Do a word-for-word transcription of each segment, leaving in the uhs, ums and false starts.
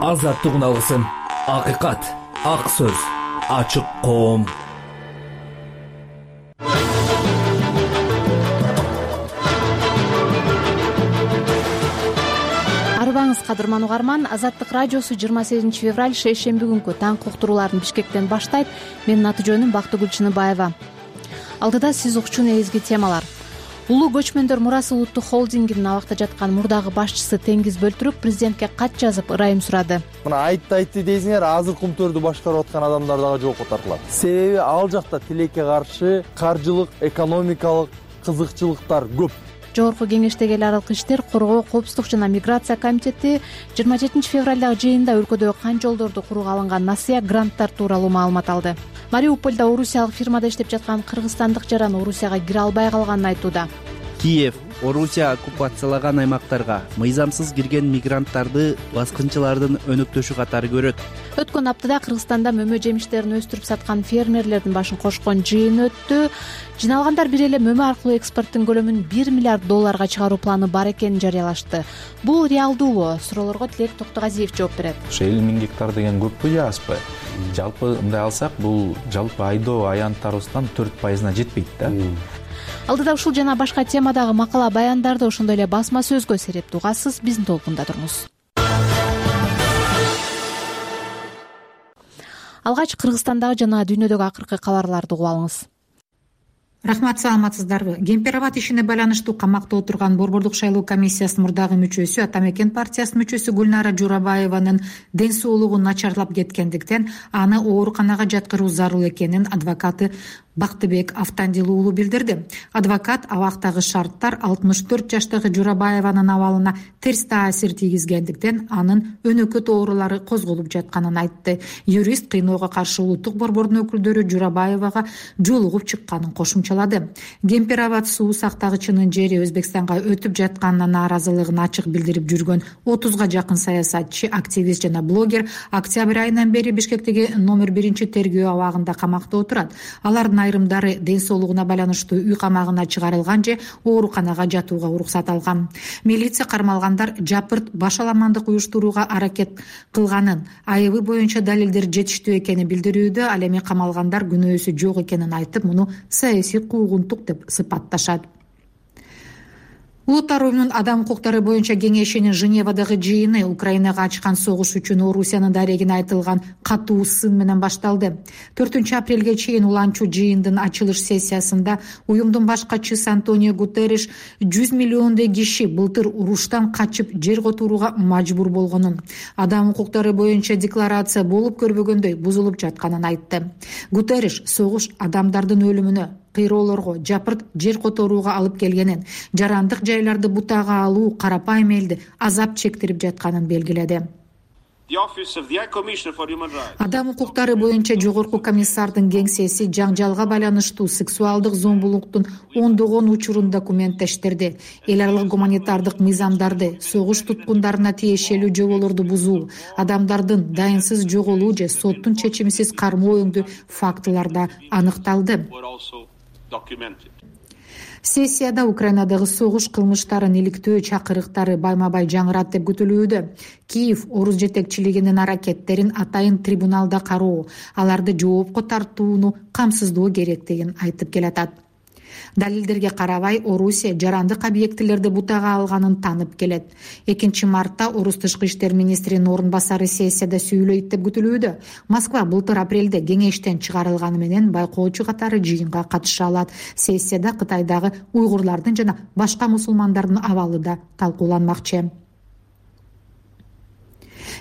азаттык алгысым, акыйкат, ак сөз, ачык коом. Арыбаңыз кадырман угарман, Азаттык радиосу жыйырма сегизинчи февраль шейшемби күнкү таңкы уктурууларын Бишкектен баштайт. Менин аты жөнүм Бактыгүл Чыныбаева. Алдыда сиз укчу негизги темалар. Улуу көчмөндөр мурасы улуттук холдингинин абакта жаткан мурдагы башчысы Теңиз Бөлтүрүк президентке кат жазып ырайым сурады. Мына айтты айтты дейсиңер, азыр Кумтөрдү башкарып аткан адамдар дагы жоопко тартылат. Себеби ал жакта тилекке каршы каржылык, экономикалык кызыкчылыктар көп. Жогорку кеңештеги эл аралык иштер, коргоо, коопсуздук жана миграция комитети жыйырма жетинчи февралдагы жыйында өлкөдөгү кан жолдорду курууга алынган насыя гранттар тууралуу маалымат алды. Мариупольдо орусиялык фирмада иштеп жаткан кыргызстандык жаран Орусияга кире албай калганын айтууда. Киев Орусия оккупациялаган аймактарга мыйзамсыз кирген мигранттарды баскынчылардын өнөктөшү катары көрөт. Өткөн аптада Кыргызстанда мөмө жемиштерин өстүрүп саткан фермерлердин башын кошкон жыйын өттү. Жиналгандар бир эле мөмө аркылуу экспорттун көлөмүн бир миллиард долларга чыгаруу планы бар экенин жарыялашты. Бул реалдуубу? Суроолорго Тилек Токтогазиев жооп берет. Ошо элүү миң гектар деген көппү же азбы? Жалпы мындай алсак, бул жалпы айдоо аянттарыбыздан төрт пайызына жетпейт да. Алдыда ушул жана башка темадагы макала баяндарды, ошондой эле басма сөзгө серепти угасыз. Биздин толкунда туруңуз. Алгач Кыргызстандагы жана дүйнөдөгү акыркы кабарларды угуп алыңыз. Рахмат, саламатсыздарбы? Кемпирабад ишине байланыштуу камакта отурган Борбордук шайлоо комиссиясынын мурдагы мүчөсү, Ата Мекен партиясынын мүчөсү Гүлнара Журабаеванын ден соолугу начарлап кеткендиктен аны ооруканага жаткыруу зарыл экенин адвокаты Бактыбек Автандил уулу билдирди. Адвокат абактагы шарттар алтымыш төрт жаштагы Журабаеванын абалына терс таасир тийгизгендиктен анын өнөкөт оорулары козголуп жатканын айтты. Юрист кыйноого каршы улуттук борбордун өкүлдөрү Журабаевага жолугуп чыкканын кошумчалады. Кемпирабад суу сактагычынын жери Өзбекстанга өтүп жатканына нааразылыгын ачык билдирип жүргөн отузга жакын саясатчы, активист жана блогер октябрь айынан бери Бишкектеги номер биринчи тергөө абагында камакта отурат. Алардын айрымдары ден соолугуна байланыштуу үй камагына чыгарылган же ооруканага жатууга уруксат алган. Милиция кармалгандар жапырт башаламандык уюштурууга аракет кылганын, айыбы боюнча далилдер жетиштүү экенин билдирүүдө, ал эми камалгандар күнөөсү жок экенин айтып, муну саясий куугунтук деп сыпатташат. Улуттар уюмунун адам укуктары боюнча кеңешинин Женевадагы жыйыны Украинага ачкан согуш үчүн Орусиянын дарегине айтылган катуу сын менен башталды. төртүнчү апрелге чейин уланчу жыйындын ачылыш сессиясында уюмдун баш катчысы Антонио Гутерриш жүз миллиондой киши былтыр уруштан качып жер которууга мажбур болгонун, адам укуктары боюнча декларация болуп көрбөгөндөй бузулуп жатканын айтты. Гутерриш согуш адамдардын өлүмүнө, кыйроолорго, жапырт жер которууга алып келгенин, жарандык жайларды бутага алуу карапайым элди азап чектирип жатканын белгиледи. Адам укуктары боюнча жогорку комиссардын кеңсеси жаңжалга байланыштуу сексуалдык зомбулуктун ондогон учурун документтештирди. Эл аралык гуманитардык мыйзамдарды, согуш туткундарына тиешелүү жоболорду бузуу, адамдардын дайынсыз жоголуу же соттун чечимисиз кармоо өңдүү фактыларда аныкталды. Сессияда Украинадагы согуш кылмыштарын иликтөө чакырыктары байма-бай жаңырат деп күтүлүүдө. Киев орус жетекчилигинин аракеттерин атайын трибуналда кароо, аларды жоопко тартууну камсыздоо керектигин айтып келатат. Далилдерге карабай, Орусия жарандык объектилерди бутага алганын танып келет. экинчи мартта орус тышкы иштер министринин орун басары сессияда сүйлөйт деп күтүлүүдө. Москва былтыр апрелде кеңештен чыгарылганы менен байкоочу катары жыйынга катыша алат. Сессияда Кытайдагы уйгурлардын жана башка мусулмандардын абалы да талкууланмакчы.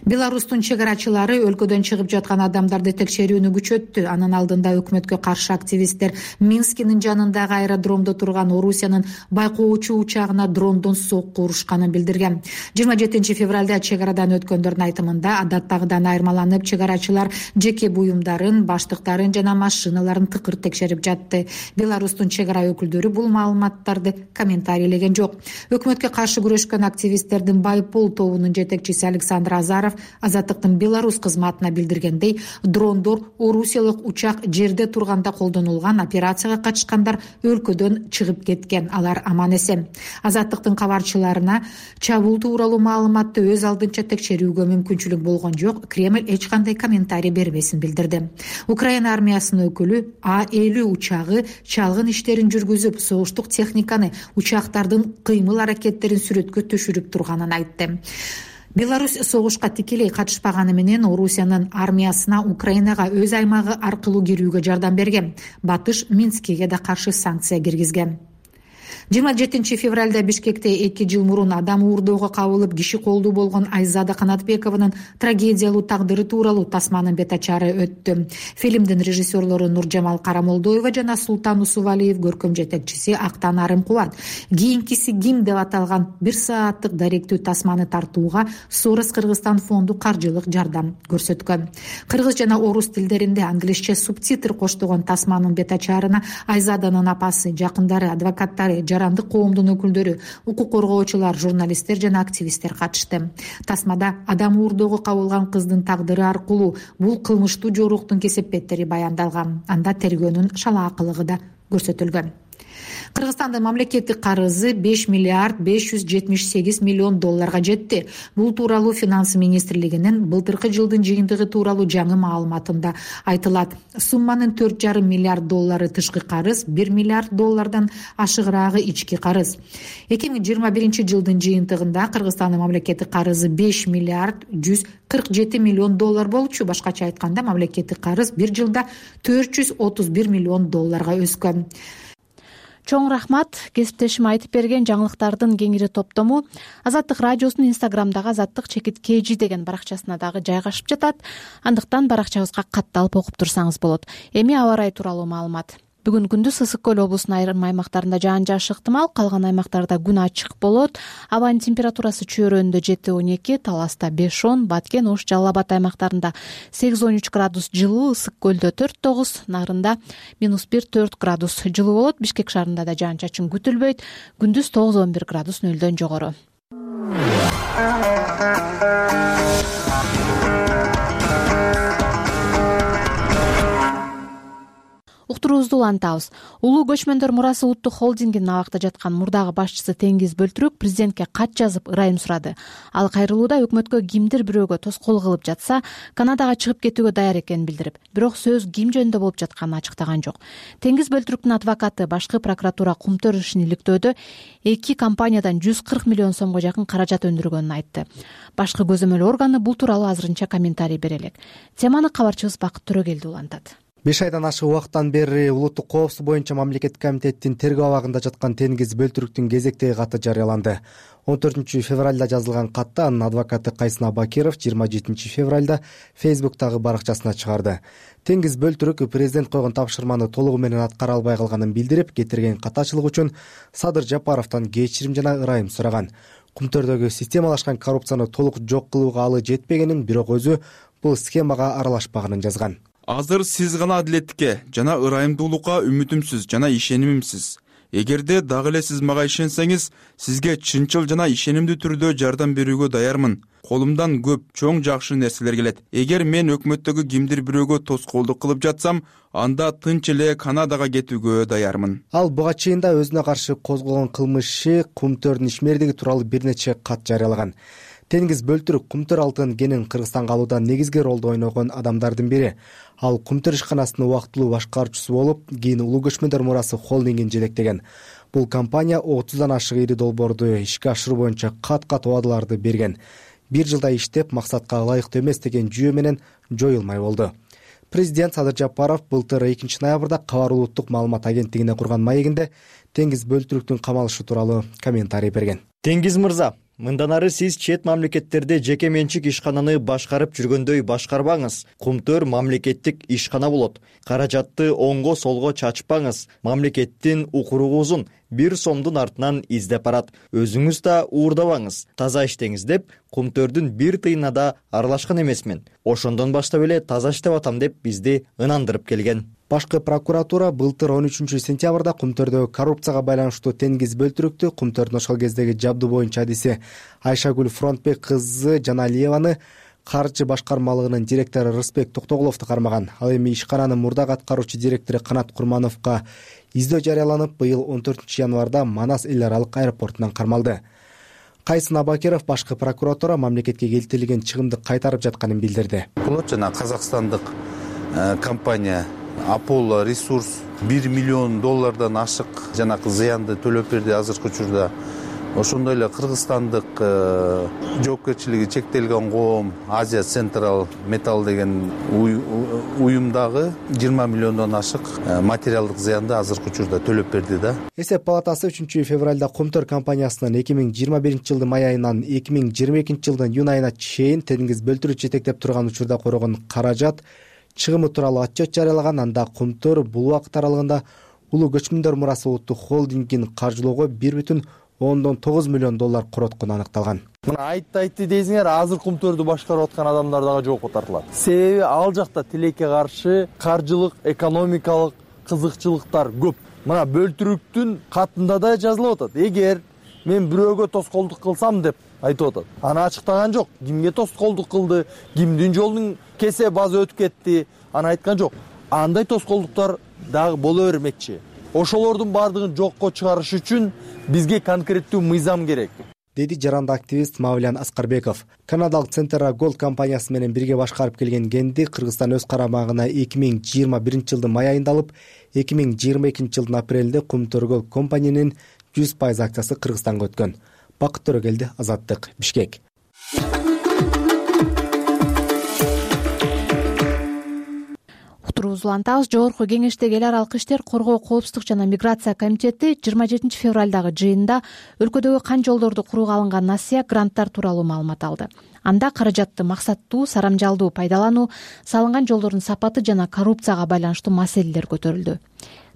Беларустун чегарачылары өлкөдөн чыгып жаткан адамдарды текшерүүнү күчөттү. Анын алдында өкмөткө каршы активисттер Минскинин жанындагы аэродромдо турган Орусиянын байкоочу учагына дрондон сокку урушканын билдирген. жыйырма жетинчи февралда чегарадан өткөндөрдүн айтымында адаттагыдан айырмаланып, чегарачылар жеке буюмдарын, баштыктарын жана машиналарын тыкыр текшерип жатты. Беларустун чегара өкүлдөрү бул маалыматтарды комментарийлеген жок. Өкмөткө каршы күрөшкөн активисттердин Байпол тобунун жетекчиси Александр Азаров Абакаров Азаттыктын Беларусь кызматына билдиргендей, дрондор орусиялык учак жерде турганда колдонулган операцияга катышкандар өлкөдөн чыгып кеткен, алар аман эсен. Азаттыктын кабарчыларына чабуул тууралуу маалыматты өз алдынча текшерүүгө мүмкүнчүлүк болгон жок, Кремль эч кандай комментарий бербесин билдирди. Украина армиясынын өкүлү А элүү учагы чалгын иштерин жүргүзүп, согуштук техниканы, учактардын кыймыл аракеттерин сүрөткө түшүрүп турганын айтты. Беларусь согушка тикелей катышпаганы менен Орусиянын армиясына Украинага өз аймагы аркылуу кирүүгө жардам берген. Батыш Минскиге да каршы санкция киргизген. жыйырма жетинчи февралда Бишкекте эки жыл мурун адам уурдоого кабылып киши колдуу болгон Айзада Канатбекованын трагедиялуу тагдыры тууралуу тасманын бет ачары өттү. Фильмдин режиссерлору Нуржамал Карамолдоева жана Султан Усубалиев, көркөм жетекчиси Актан Арымкубат. Кийинкиси ким деп аталган бир сааттык даректүү тасманы тартууга Сорос Кыргызстан фонду каржылык жардам көрсөткөн. Кыргыз жана орус тилдеринде англисче субтитр коштогон тасманын бет ачарына Айзаданын апасы, жакындары, адвокаттары, жарандык коомдун өкүлдөрү, укук коргоочулар, журналисттер жана активисттер катышты. Тасмада адам уурдоого кабылган кыздын тагдыры аркылуу бул кылмыштуу жоруктун кесепеттери баяндалган. Анда тергөөнүн шалаакылыгы да көрсөтүлгөн. Кыргызстандын мамлекеттик карызы беш миллиард беш жүз жетимиш сегиз миллион долларга жетти. Бул тууралуу Финансы министрлигинин былтыркы жылдын жыйынтыгы тууралуу жаңы маалыматында айтылат. Сумманын төрт жарым миллиард доллары тышкы карыз, бир миллиард доллардан ашыгыраагы ички карыз. эки миң жыйырма биринчи жылдын жыйынтыгында Кыргызстандын мамлекеттик карызы беш миллиард жүз кырк жети миллион доллар болчу. Башкача айтканда, мамлекеттик карыз бир жылда төрт жүз отуз бир миллион долларга өскөн. Чоң рахмат. Кесиптешим айтып берген жаңылыктардын кеңири топтому Азаттык радиосунун Инстаграмдагы Азаттык чекит kg деген баракчасына дагы жайгашып жатат. Андыктан баракчабызга катталып окуп турсаңыз болот. Эми аба ырайы тууралуу маалымат. Бүгүн күндүз Ысык көл облусунун айрым аймактарында жаан жаашы ыктымал, калган аймактарда күн ачык болот. Абанын температурасы чөйрөндө жети он эки, Таласта беш он, Баткен, Ош, Жалал Абад аймактарында сегиз он үч градус жылуу, Ысык көлдө төрт тогуз, Нарында минус бир төрт градус жылуу болот. Бишкек шаарында да жаан чачын күтүлбөйт. Күндүз тогуз он бир градус нөлдөн жогору. Уктуруубузду улантабыз. Улуу көчмөндөр мурасы улуттук холдингинин абакта жаткан мурдагы башчысы Теңиз Бөлтүрүк президентке кат жазып ырайым сурады. Ал кайрылууда өкмөткө кимдир бирөөгө тоскоол кылып жатса, Канадага чыгып кетүүгө даяр экенин билдирип, бирок сөз ким жөнүндө болуп жатканын ачыктаган жок. Теңиз Бөлтүрүктүн адвокаты башкы прокуратура Кумтөр ишин иликтөөдө эки компаниядан жүз кырк миллион сомго жакын каражат өндүргөнүн айтты. Башкы көзөмөл органы бул тууралуу азырынча комментарий бере элек. Теманы кабарчыбыз Бакыт Төрөгелди улантат. беш айдан ашык убакыттан бери улуттук коопсуздук боюнча мамлекеттик комитеттин тергөө абагында жаткан Теңиз Бөлтүрүктүн кезектеги каты жарыяланды. он төртүнчү февралда жазылган катты анын адвокаты Кайсын Абакиров жыйырма жетинчи февралда Фейсбуктагы баракчасына чыгарды. Теңиз Бөлтүрүк президент койгон тапшырманы толугу менен аткара албай калганын билдирип, кетирген катачылык үчүн Садыр Жапаровдон кечирим жана ырайым сураган. Кумтөрдөгү системалашкан коррупцияны толук жок кылууга алы жетпегенин, бирок өзү бул схемага аралашпаганын жазган. Азыр сиз гана адилеттикке жана ырайымдуулукка үмүтүмсүз жана ишенимимсиз. Эгерде дагы эле сиз мага ишенсеңиз, сизге чынчыл жана ишенимдүү түрдө жардам берүүгө даярмын. Колумдан көп чоң жакшы нерселер келет. Эгер мен өкмөттөгү кимдир бирөөгө тоскоолдук кылып жатсам, анда тынч эле Канадага кетүүгө даярмын. Ал буга чейин да өзүнө каршы козголгон кылмышы, Кумтөрдүн ишмердиги тууралуу бир нече кат жарыялаган. Теңиз Бөлтүрүк Кумтөр алтын кенин Кыргызстанга алууда негизги ролду ойногон адамдардын бири. Ал Кумтөр ишканасынын убактылуу башкаруучусу болуп, кийин Улуу көчмөндөр мурасы холдингин жетектеген. Бул компания отуздан ашык ири долбоорду ишке ашыруу боюнча кат-кат убадаларды берген. Бир жылда иштеп, максатка ылайыктуу эмес деген жүйө менен жоюлмай болду. Президент Садыр Жапаров былтыр экинчи ноябрда Кабар улуттук маалымат агенттигине курган маегинде Теңиз Бөлтүрүктүн камалышы тууралуу комментарий берген. Теңиз мырза, мындан ары сиз чет мамлекеттерде жеке менчик ишкананы башкарып жүргөндөй башкарбаңыз. Кумтөр мамлекеттик ишкана болот. Каражатты оңго солго чачпаңыз. Мамлекеттин укуругузун бир сомдун артынан издеп барат. Өзүңүз да уурдабаңыз. Таза иштеңиз деп Кумтөрдүн бир тыйына да аралашкан эмесмин. Ошондон баштап эле таза иштеп атам деп бизди ынандырып келген. Башкы прокуратура былтыр он үчүнчү сентябрда Кумтөрдөгү коррупцияга байланыштуу Теңиз Бөлтүрүктү Кумтөрдүн ошол кездеги жабдуу боюнча адиси Айшагүл Фронтбек кызы Жаналиеваны каржы башкармалыгынын директору Рысбек Токтогуловду кармаган. Ал эми ишкананын мурдагы аткаруучу директору Канат Курмановго издөө жарыяланып, быйыл он төртүнчү январда Манас эл аралык аэропортунан кармалды. Кайсын Абакиров башкы прокуратура мамлекетке келтирилген чыгымды кайтарып жатканын билдирди. Бул жана казакстандык компания Apollo Resource бир миллион доллардан ашык жанакы зыянды төлөп берди азыркы учурда. Ошондой эле кыргызстандык жоопкерчилиги чектелген коом Азия Central Metal деген уюмдагы жыйырма миллиондон ашык материалдык зыянды азыркы учурда төлөп берди да. Эсеп палатасы үчүнчү февралда Кумтөр компаниясынын эки миң жыйырма биринчи жылдын май айынан эки миң жыйырма экинчи жылдын июнь айына чейин теңиз бөлтүрүү жетектеп турган учурда корогон каражат чыгымы тууралуу отчет жарыялаган. Анда Кумтөр бул убакыт аралыгында Улуу көчмөндөр мурасы улуттук холдингин каржылоого бир бүтүн ондон тогуз миллион доллар короткону аныкталган. Мына айтты айтты дейсиңер, азыр Кумтөрдү башкарып аткан адамдар дагы жоопко тартылат. Себеби ал жакта тилекке каршы каржылык, экономикалык кызыкчылыктар көп. Мына бөлтүрүктүн катында да жазылып атат. Эгер мен бирөөгө тоскоолдук кылсам деп айтып атат. Аны ачыктаган жок. Кимге тоскоолдук кылды, кимдин жолунун кесе базы өтүп кетти, аны айткан жок. Андай тоскоолдуктар дагы боло бермекчи. Ошолордун баардыгын жокко чыгарыш үчүн бизге конкреттүү мыйзам керек, деди жаранды активист Мавлян Аскарбеков. Канадалык Centera Gold компаниясы менен бирге башкарып келген кенди Кыргызстан өз карамагына эки миң жыйырма биринчи жылдын май айында алып, эки миң жыйырма экинчи жылдын апрелинде Кумтөр Gold компаниянын жүз пайыз акциясы Кыргызстанга өткөн. Бакыт Төрөгелди, Азаттык, Бишкек. Уктуруубузду улантабыз. Жогорку кеңештеги эл аралык иштер, коргоо, коопсуздук жана миграция комитети жыйырма жетинчи февралдагы жыйынында өлкөдөгү кан жолдорду курууга алынган насыя гранттар тууралуу маалымат алды. Анда каражатты максаттуу, сарамжалдуу пайдалануу, салынган жолдордун сапаты жана коррупцияга байланыштуу маселелер көтөрүлдү.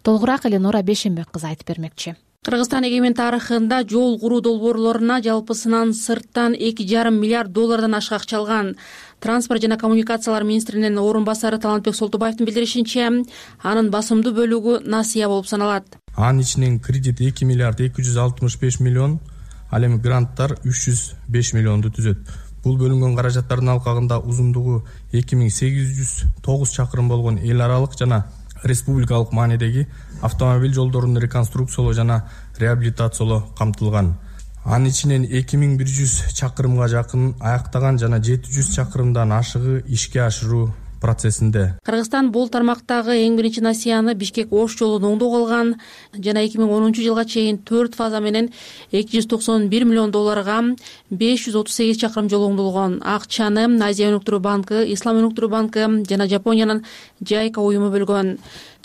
Толугураак Эленора Бешенбек кызы айтып бермекчи. Кыргызстан эгемен тарыхында жол куруу долбоорлоруна жалпысынан сырттан эки жарым миллиард доллардан ашык акча алган. Транспорт жана коммуникациялар министринин орун басары Талантбек Солтубаевдин билдиришинче, анын басымдуу бөлүгү насыя болуп саналат. Анын ичинен кредит эки миллиард эки жүз алтымыш беш миллион, ал эми гранттар үч жүз беш миллионду түзөт. Бул бөлүнгөн каражаттардын алкагында узундугу эки миң сегиз жүз тогуз чакырым болгон эл аралык жана республикалык маанидеги автомобиль жолдорун реконструкциялоо жана реабилитациялоо камтылган. Анын ичинен эки миң бир жүз чакырымга жакын аяктаган жана жети жүз чакырымдан ашыгы ишке ашыруу процессинде. Кыргызстан бул тармактагы эң биринчи насыяны Бишкек-Ош жолун оңдоого алган жана эки миң онунчу жылга чейин төрт фаза менен эки жүз токсон бир миллион долларга беш жүз отуз сегиз чакырым жол оңдолгон. Акчаны Азия өнүктүрүү банкы, Ислам өнүктүрүү банкы жана Жапониянын Жайка уюму бөлгөн.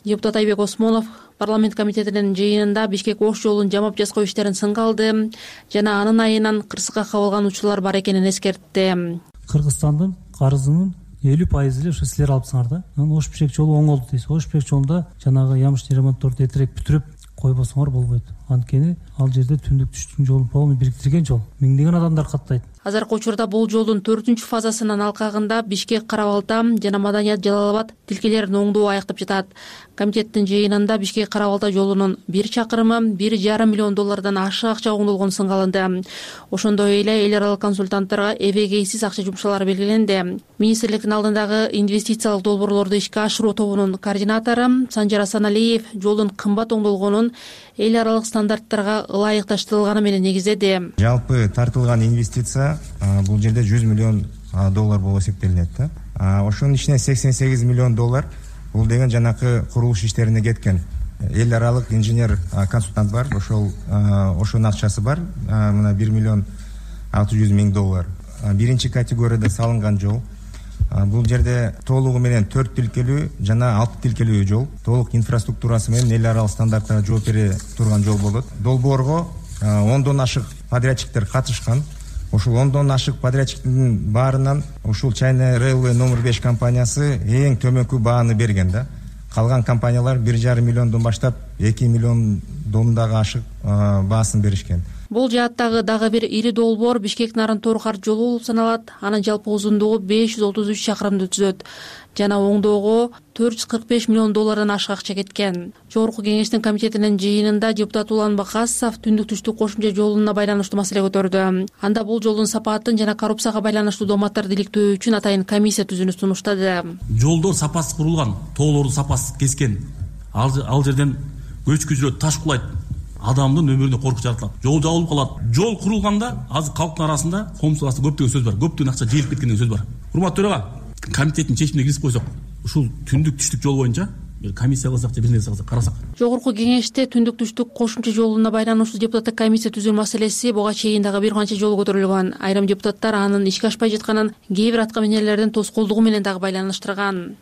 Депутат Айбек Осмонов парламент комитетинин жыйынында Бишкек-Ош жолун жамап жасоо иштерин сынга алды жана анын айынан кырсыкка кабылган учурлар бар экенин эскертти. Кыргызстандын карызынын элүү пайызы эле ошо силер алыпсыңар да. Анан Ош Бишкек жолу оңолду дейсиз. Ош Бишкек жолунда жанагы ямыштын ремонтторду эртерээк бүтүрүп койбосоңор болбойт. Анткени ал жерде түндүк түштүн жолун полный бириктирген жол. Миңдеген адамдар каттайт. Азыркы учурда бул жолдун төртүнчү фазасынын алкагында Бишкек, Кара-Балта жана Маданият, Жалал Абад тилкелерин оңдоо аяктап жатат. Комитеттин жыйынында Бишкек Кара-Балта жолунун бир чакырымы бир жарым миллион доллардан ашык акча оңдолгон сынга алынды. Ошондой эле эл аралык консультанттарга эбегейсиз акча жумшалары белгиленди. Министрликтин алдындагы инвестициялык долбоорлорду ишке ашыруу тобунун координатору Санжар Асаналиев жолдун кымбат оңдолгонун эл аралык стандарттарга ылайыкташтырылганы менен негиздеди. Жалпы тартылган инвестиция бул жерде жүз миллион доллар болуп эсептелинет да. Ошонун ичинен сексен сегиз миллион доллар бул деген жанакы курулуш иштерине кеткен. Эл аралык инженер консультант бар, ошол ошонун акчасы бар. Мына бир миллион алты жүз миң доллар. Биринчи категорияда салынган жол. Бул жерде толугу менен төрт тилкелүү жана алты тилкелүү жол, толук инфраструктурасы менен эл аралык стандарттарга жооп бере турган жол болот. Долбоорго ондон ашык подрядчиктер катышкан. Ушул ондон ашык подрядчиктин баарынан ушул China Railway номер беш компаниясы эң төмөнкү бааны берген да. Калган компаниялар бир жарым миллиондон баштап эки миллион домдагы ашык баасын беришкен. Бул жааттагы дагы бир ири долбоор Бишкек Нарын-Торухар жолу болуп саналат. Анын жалпы узундугу беш жүз отуз үч чакырымды түзөт жана оңдоого төрт жүз кырк беш миллион доллардан ашык акча кеткен. Жогорку кеңештин комитетинин жыйынында депутат Улан Бакасов түндүк-түштүк кошумча жолуна байланыштуу маселе көтөрдү. Анда бул жолдун сапатын жана коррупцияга байланыштуу дооматтарды иликтөө үчүн атайын комиссия түзүүнү сунуштады. Жолдор сапасыз курулган, тоолорду сапасыз кескен. Ал, ал жерден көчкү жүрөт, таш кулайт. Адамдын өмүрүнө коркуч жаратылат. Жол жабылып калат. Жол курулганда азыр калктын арасында коомчулук арасында көптөгөн сөз бар. Көптөгөн акча жыйылып кеткен деген сөз бар. Урматтуу төрага, комитеттин чечимине киргизип койсок, ушул түндүк-түштүк жол боюнча бир комиссия кылсак же бир нерсе кылсак, карасак. Жогорку кеңеште түндүк-түштүк кошумча жолуна байланыштуу депутаттык комиссия түзүү маселеси буга чейин дагы бир канча жолу көтөрүлгөн. Айрым депутаттар анын ишке ашпай жатканын кээ бир атка минерлердин тоскоолдугу менен дагы байланыштырган.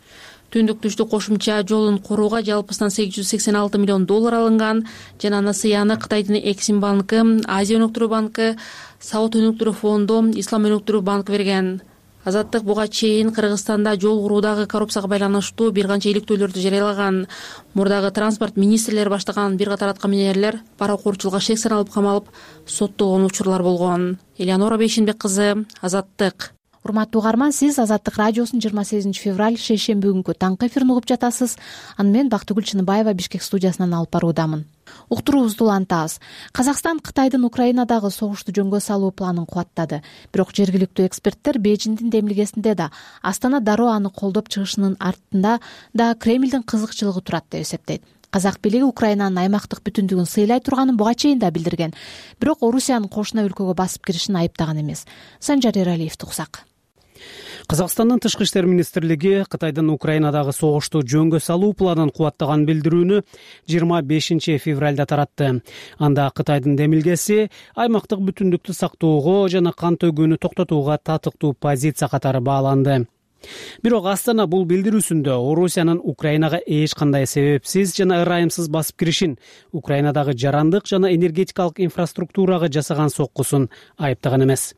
Түндүк-түштүк кошумча жолун курууга жалпысынан сегиз жүз сексен алты миллион доллар алынган жана насыяны Кытайдын Эксим банкы, Азия өнүктүрүү банкы, Сауд өнүктүрүү фонду, Ислам өнүктүрүү банкы берген. Азаттык буга чейин Кыргызстанда жол куруудагы коррупцияга байланыштуу бир канча иликтөөлөрдү жарыялаган. Мурдагы транспорт министрлери баштаган бир катар атка минерлер паракурчулукка шек саналып камалып соттолгон учурлар болгон. Элеонора Бейшенбек кызы, Азаттык. Урматтуу угарман, сиз Азаттык радиосунун жыйырма сегизинчи февраль шейшемби күнкү таңкы эфирин угуп жатасыз. Аны мен Бактыгүл Чыныбаева Бишкек студиясынан алып баруудамын. Уктуруубузду улантабыз. Казакстан Кытайдын Украинадагы согушту жөнгө салуу планын кубаттады. Бирок жергиликтүү эксперттер Бейжиңдин демилгесинде да Астана дароо аны колдоп чыгышынын артында да Кремлдин кызыкчылыгы турат деп эсептейт. Казак бийлиги Украинанын аймактык бүтүндүгүн сыйлай турганын буга чейин да билдирген. Бирок Орусиянын кошуна өлкөгө басып киришин айыптаган эмес. Санжар Эралиевди уксак. Казакстандын тышкы иштер министрлиги Кытайдын Украинадагы согушту жөнгө салуу планын кубаттаган билдирүүнү жыйырма бешинчи февралда таратты. Анда Кытайдын демилгеси аймактык бүтүндүктү сактоого жана кан төгүүнү токтотууга татыктуу позиция катары бааланды. Бирок Астана бул билдирүүсүндө Орусиянын Украинага эч кандай себепсиз жана ырайымсыз басып киришин, Украинадагы жарандык жана энергетикалык инфраструктурага жасаган соккусун айыптаган эмес.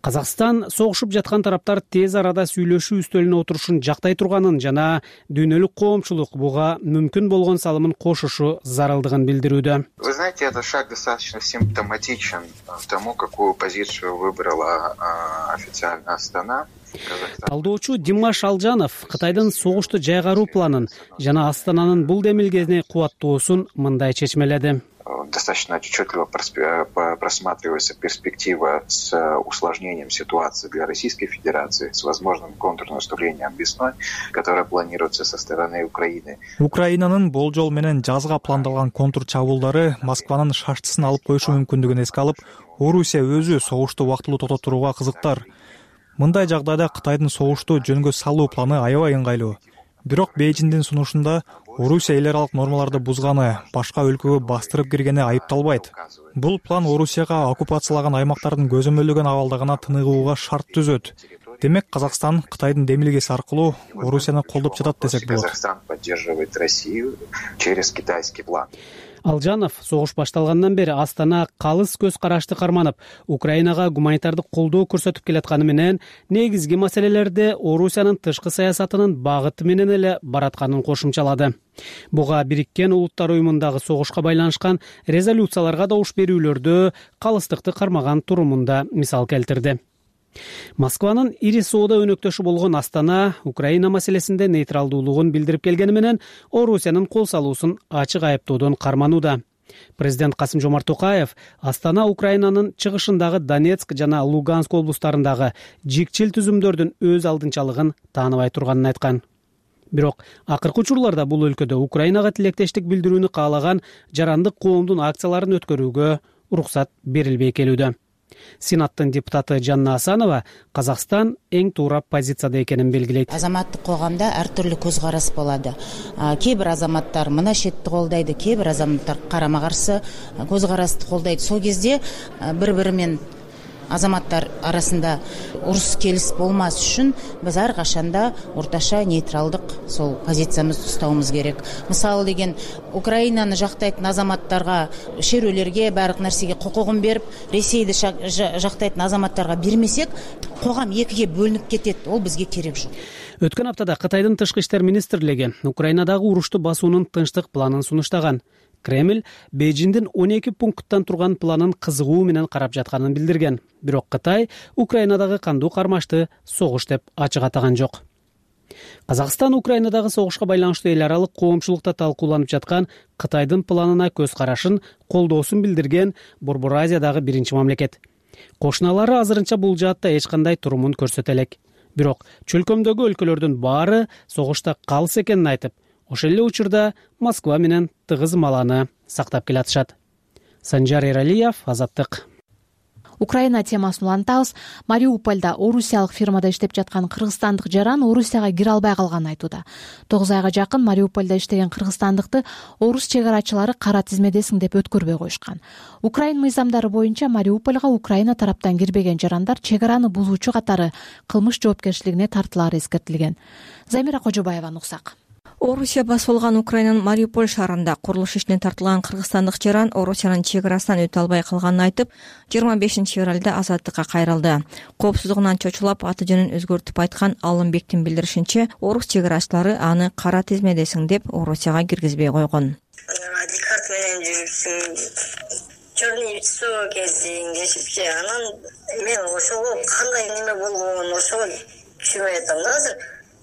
Казакстан согушуп жаткан тараптар тез арада сүйлөшүү үстөлүнө отурушун жактай турганын жана дүйнөлүк коомчулук буга мүмкүн болгон салымын кошушу зарылдыгын билдирүүдө. Вы знаете, этот шаг достаточно симптоматичен тому, какую позицию выбрала официально Астана. Талдоочу Димаш Алжанов Кытайдын согушту жайгаруу планын жана Астананын бул демилгени кубаттоосун мындай чечмеледи. Достаточно отчетливо просматривается перспектива с усложнением ситуации для Российской Федерации, с возможным контрнаступлением весной, которое планируется со стороны Украины. Украинанын болжол менен жазга пландалган контур чабуулдары Москванын шаштысын алып коюшу мүмкүндүгүн эске алып, Орусия өзү согушту убактылуу токтотууга кызыктар. Мындай жагдайда Кытайдын согушту жөнгө салуу планы аябай ыңгайлуу. Бирок Бейжиңдин сунушунда Орусия эл аралык нормаларды бузганы, башка өлкөгө бастырып киргени айыпталбайт. Бул план Орусияга оккупациялаган аймактардын көзөмөлдөгөн абалда гана тыныгууга шарт түзөт. Демек, Казакстан Кытайдын демилгеси аркылуу Орусияны колдоп жатат десек болот. Казакстан поддерживает Россию через китайский план. Алжанов согуш башталгандан бери Астана калыс көз карашты карманып, Украинага гуманитардык колдоо көрсөтүп келатканы менен негизги маселелерде Орусиянын тышкы саясатынын багыты менен эле баратканын кошумчалады. Буга Бириккен Улуттар уюмундагы согушка байланышкан резолюцияларга добуш берүүлөрдө калыстыкты кармаган турумунда мисал келтирди. Москванын ири соода өнөктөшү болгон Астана Украина маселесинде нейтралдуулугун билдирип келгени менен Орусиянын кол салуусун ачык айыптоодон карманууда. Президент Касым-Жомарт Токаев Астана Украинанын чыгышындагы Донецк жана Луганск облустарындагы жикчил түзүмдөрдүн өз алдынчалыгын тааныбай турганын айткан. Бирок акыркы учурларда бул өлкөдө Украинага тилектештик билдирүүнү каалаган жарандык коомдун акцияларын өткөрүүгө уруксат берилбей келүүдө. Сенаттын депутаты Жанна Асанова Казакстан эң туура позицияда экенин белгилейт. Азаматтык коомдо ар түрлүү көз караш болду. Кээ бир азаматтар мына шетти колдойт, кээ бир азаматтар карама каршы көз карашты колдойт. Сол кезде бири-бири менен азаматтар арасында урус келиш болмас үчүн биз ар качанда орташа нейтралдык сол позициябызды уставыбыз керек. Мисалы деген Украинаны жактайтын азаматтарга, шерүүлөргө, бардык нерсеге кукугун берип, Ресейди жактайтын азаматтарга бермесек, когам экиге бөлүнүп кетет. Ол бизге керек жок. Өткөн аптада Кытайдын тышкы иштер министрлиги Украинадагы урушту басуунун тынчтык планын сунуштаган. Кремль Бейжиңдин он эки пункттан турган планын кызыгуу менен карап жатканын билдирген. Бирок Кытай Украинадагы кандуу кармашты согуш деп ачык атаган жок. Казакстан Украинадагы согушка байланыштуу эл аралык коомчулукта талкууланып жаткан Кытайдын планына көз карашын, колдоосун билдирген Борбор Азиядагы биринчи мамлекет. Кошуналары азырынча бул жаатта эч кандай турумун көрсөтө элек. Бирок чөлкөмдөгү өлкөлөрдүн баары согушта калыс экенин айтып, ошол эле учурда Москва менен тыгыз мааланы сактап келатышат. Санжар Эралиев, Азаттык. Украина темасын улантабыз. Мариупольда орусиялык фирмада иштеп жаткан кыргызстандык жаран Орусияга кире албай калганын айтууда. тогуз айга жакын Мариупольда иштеген кыргызстандыкты орус чек арачылары кара тизмедесиң деп өткөрбөй коюшкан. Украин мыйзамдары боюнча Мариупольга Украина тараптан кирбеген жарандар чек араны бузуучу катары кылмыш жоопкерчилигине тартылаары эскертилген. Замира Кожобаеванын уксак. Орусия басып алган Украинанын Мариуполь шаарында курулуш ишине тартылган кыргызстандык жаран Орусиянын чек арасынан өтө албай калганын айтып, жыйырма бешинчи февралда азаттыкка кайрылды. Коопсуздугунан чочулап аты жөнүн өзгөртүп айткан Алымбектин билдиришинче, орус чек арачылары аны кара тизмедесиң деп Орусияга киргизбей койгон. Адикарт менен жүрүпсүң, черный лицо кезиң дешипчи, анан мен ошого кандай неме болгонун ошого түшүнбөй атам да азыр.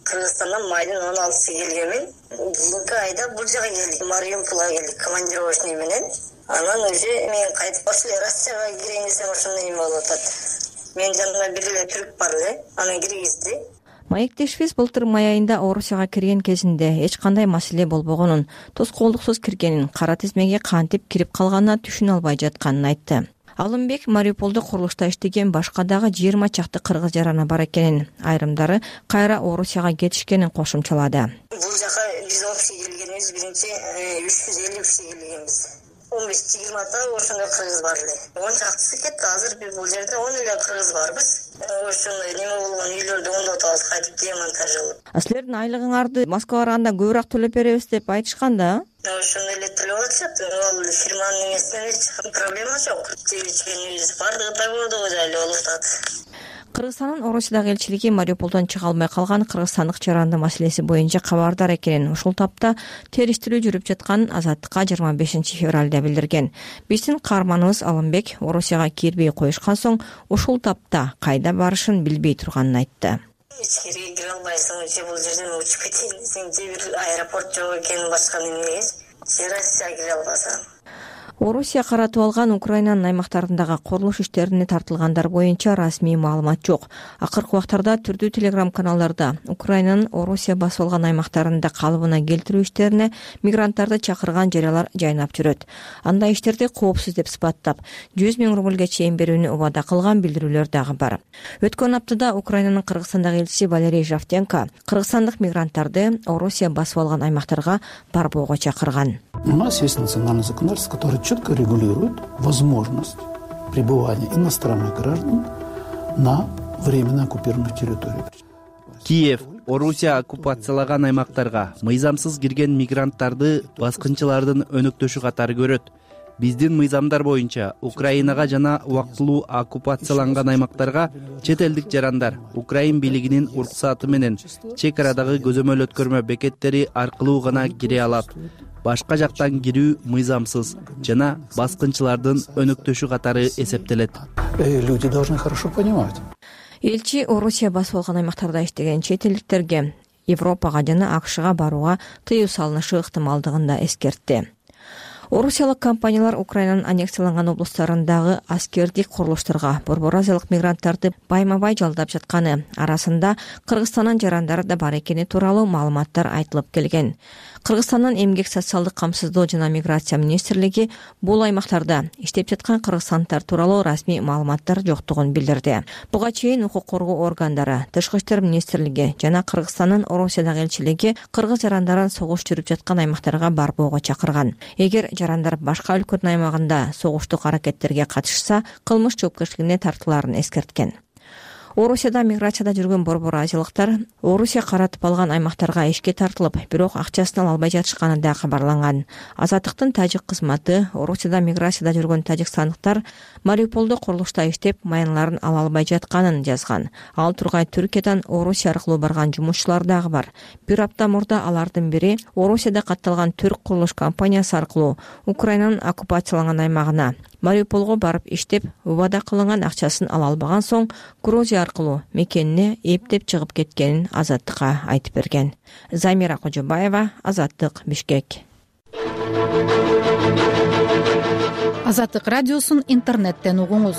Кыргызстандан майдын он алтысы келгенмин. Кийинки айда бул жака келдик, Мариупольга келдик командировочный менен. Анан уже мен кайтып башы эле Россияга кирейин десем ошондой неме болуп атат. Мен жанымда бир эле түрк бар эле, аны киргизди. Маектешибиз былтыр май айында Орусияга кирген кезинде эч кандай маселе болбогонун, тоскоолдуксуз киргенин, кара тизмеге кантип кирип калганына түшүнө албай жатканын айтты. Алымбек Мариуполдо курулушта иштеген башка дагы жыйырма чакты кыргыз жараны бар экенин, айрымдары кайра Орусияга кетишкенин кошумчалады. Бул жака биз он киши келгенбиз, биринчи үч жүз элүү киши келгенбиз. он беш жыйырмада ошондой кыргыз бар эле. он чактысы кетти, азыр биз бул жерде он эле кыргыз барбыз. Ошондой неме болгон үйлөрдү оңдоп атабыз, кайтып демонтажылып. Силердин айлыгыңарды Москвага барганда көбүрөөк төлөп беребиз деп айтышкан да? Ошондой эле төлөп атышат. Ал фирманын эмесинен эч проблема жок. Жебичкенибиз бардыгы да көрдүгү эле болуп атат. Кыргызстандын Орусиядагы элчилиги Мариуполдон чыга албай калган кыргызстандык жарандын маселеси боюнча кабардар экенин, ушул тапта териштирүү жүрүп жатканын Азаттыкка жыйырма бешинчи февралда билдирген. Биздин каарманыбыз Алымбек Орусияга кирбей коюшкан соң ушул тапта кайда барышын билбей турганын айтты. Ичкерге кире албайсың, же бул жерден учуп кетейин десең, же бир аэропорт жок экенин башка немегес, же Россияга кире албасаң. Орусия каратып алган Украинанын аймактарындагы курулуш иштерине тартылгандар боюнча расмий маалымат жок. Акыркы убактарда түрдүү телеграм-каналдарда Украинанын Орусия басып алган аймактарында калыбына келтирүү иштерине мигранттарды чакырган жарыялар жайнап жүрөт. Андай иштерди коопсуз деп сыпаттап, жүз миң рубльге чейин берүүнү убада кылган билдирүүлөр дагы бар. Өткөн аптада Украинанын Кыргызстандагы элчиси Валерий Жавтенко кыргызстандык мигранттарды Орусия басып алган аймактарга барбоого чакырган. У нас есть национальный законодательство, который четко регулирует возможность пребывания иностранных граждан на временно оккупированных территориях. Киев Орусия оккупациялаган аймактарга мыйзамсыз кирген мигранттарды баскынчылардын өнөктөшү катары көрөт. Биздин мыйзамдар боюнча Украинага жана убактылуу оккупацияланган аймактарга чет элдик жарандар Украин бийлигинин уруксаты менен чек арадагы көзөмөл өткөрмө бекеттери аркылуу гана кире алат. Башка жактан кирүү мыйзамсыз жана баскынчылардын өнөктөшү катары эсептелет. Люди должны хорошо понимать. Элчи Орусия басып алган аймактарда иштеген чет элдиктерге Европага жана АКШга барууга тыюу салынышы ыктымалдыгын да эскертти. Орусиялык компаниялар Украинанын аннексияланган облустарындагы аскердик курулуштарга борбор азиялык мигранттарды байма-бай жалдап жатканы арасында Кыргызстандын жарандары да бар экени тууралуу маалыматтар айтылып келген. Кыргызстандын эмгек социалдык камсыздоо жана миграция министрлиги бул аймактарда иштеп жаткан кыргызстандыктар тууралуу расмий маалыматтар жоктугун билдирди. Буга чейин укук коргоо органдары, Тышкы иштер министрлиги жана Кыргызстандын Орусиядагы элчилиги кыргыз жарандарын согуш жүрүп жаткан аймактарга барбоого чакырган. Эгер жарандар башка өлкөнүн аймагында согуштук аракеттерге катышса, кылмыш жоопкерчилигине тартылаарын эскерткен. Орусияда миграцияда жүргөн борбор азиялыктар Орусия каратып алган аймактарга ишке тартылып, бирок акчасын ала албай жатышканы да кабарланган. Азаттыктын тажик кызматы Орусияда миграцияда жүргөн тажикстандыктар Мариуполдо курулушта иштеп, маянларын ала албай жатканын жазган. Ал тургай Түркиядан Орусия аркылуу барган жумушчулар дагы бар. Бир апта мурда алардын бири Орусияда катталган түрк курулуш компаниясы аркылуу Украинанын оккупацияланган аймагына Мариуполго барып иштеп, убада кылынган акчасын ала албаган соң Грузия аркылуу мекенине эптеп чыгып кеткенин Азаттыкка айтып берген. Замира Кожобаева, Азаттык, Бишкек. Азаттык радиосун интернеттен угуңуз.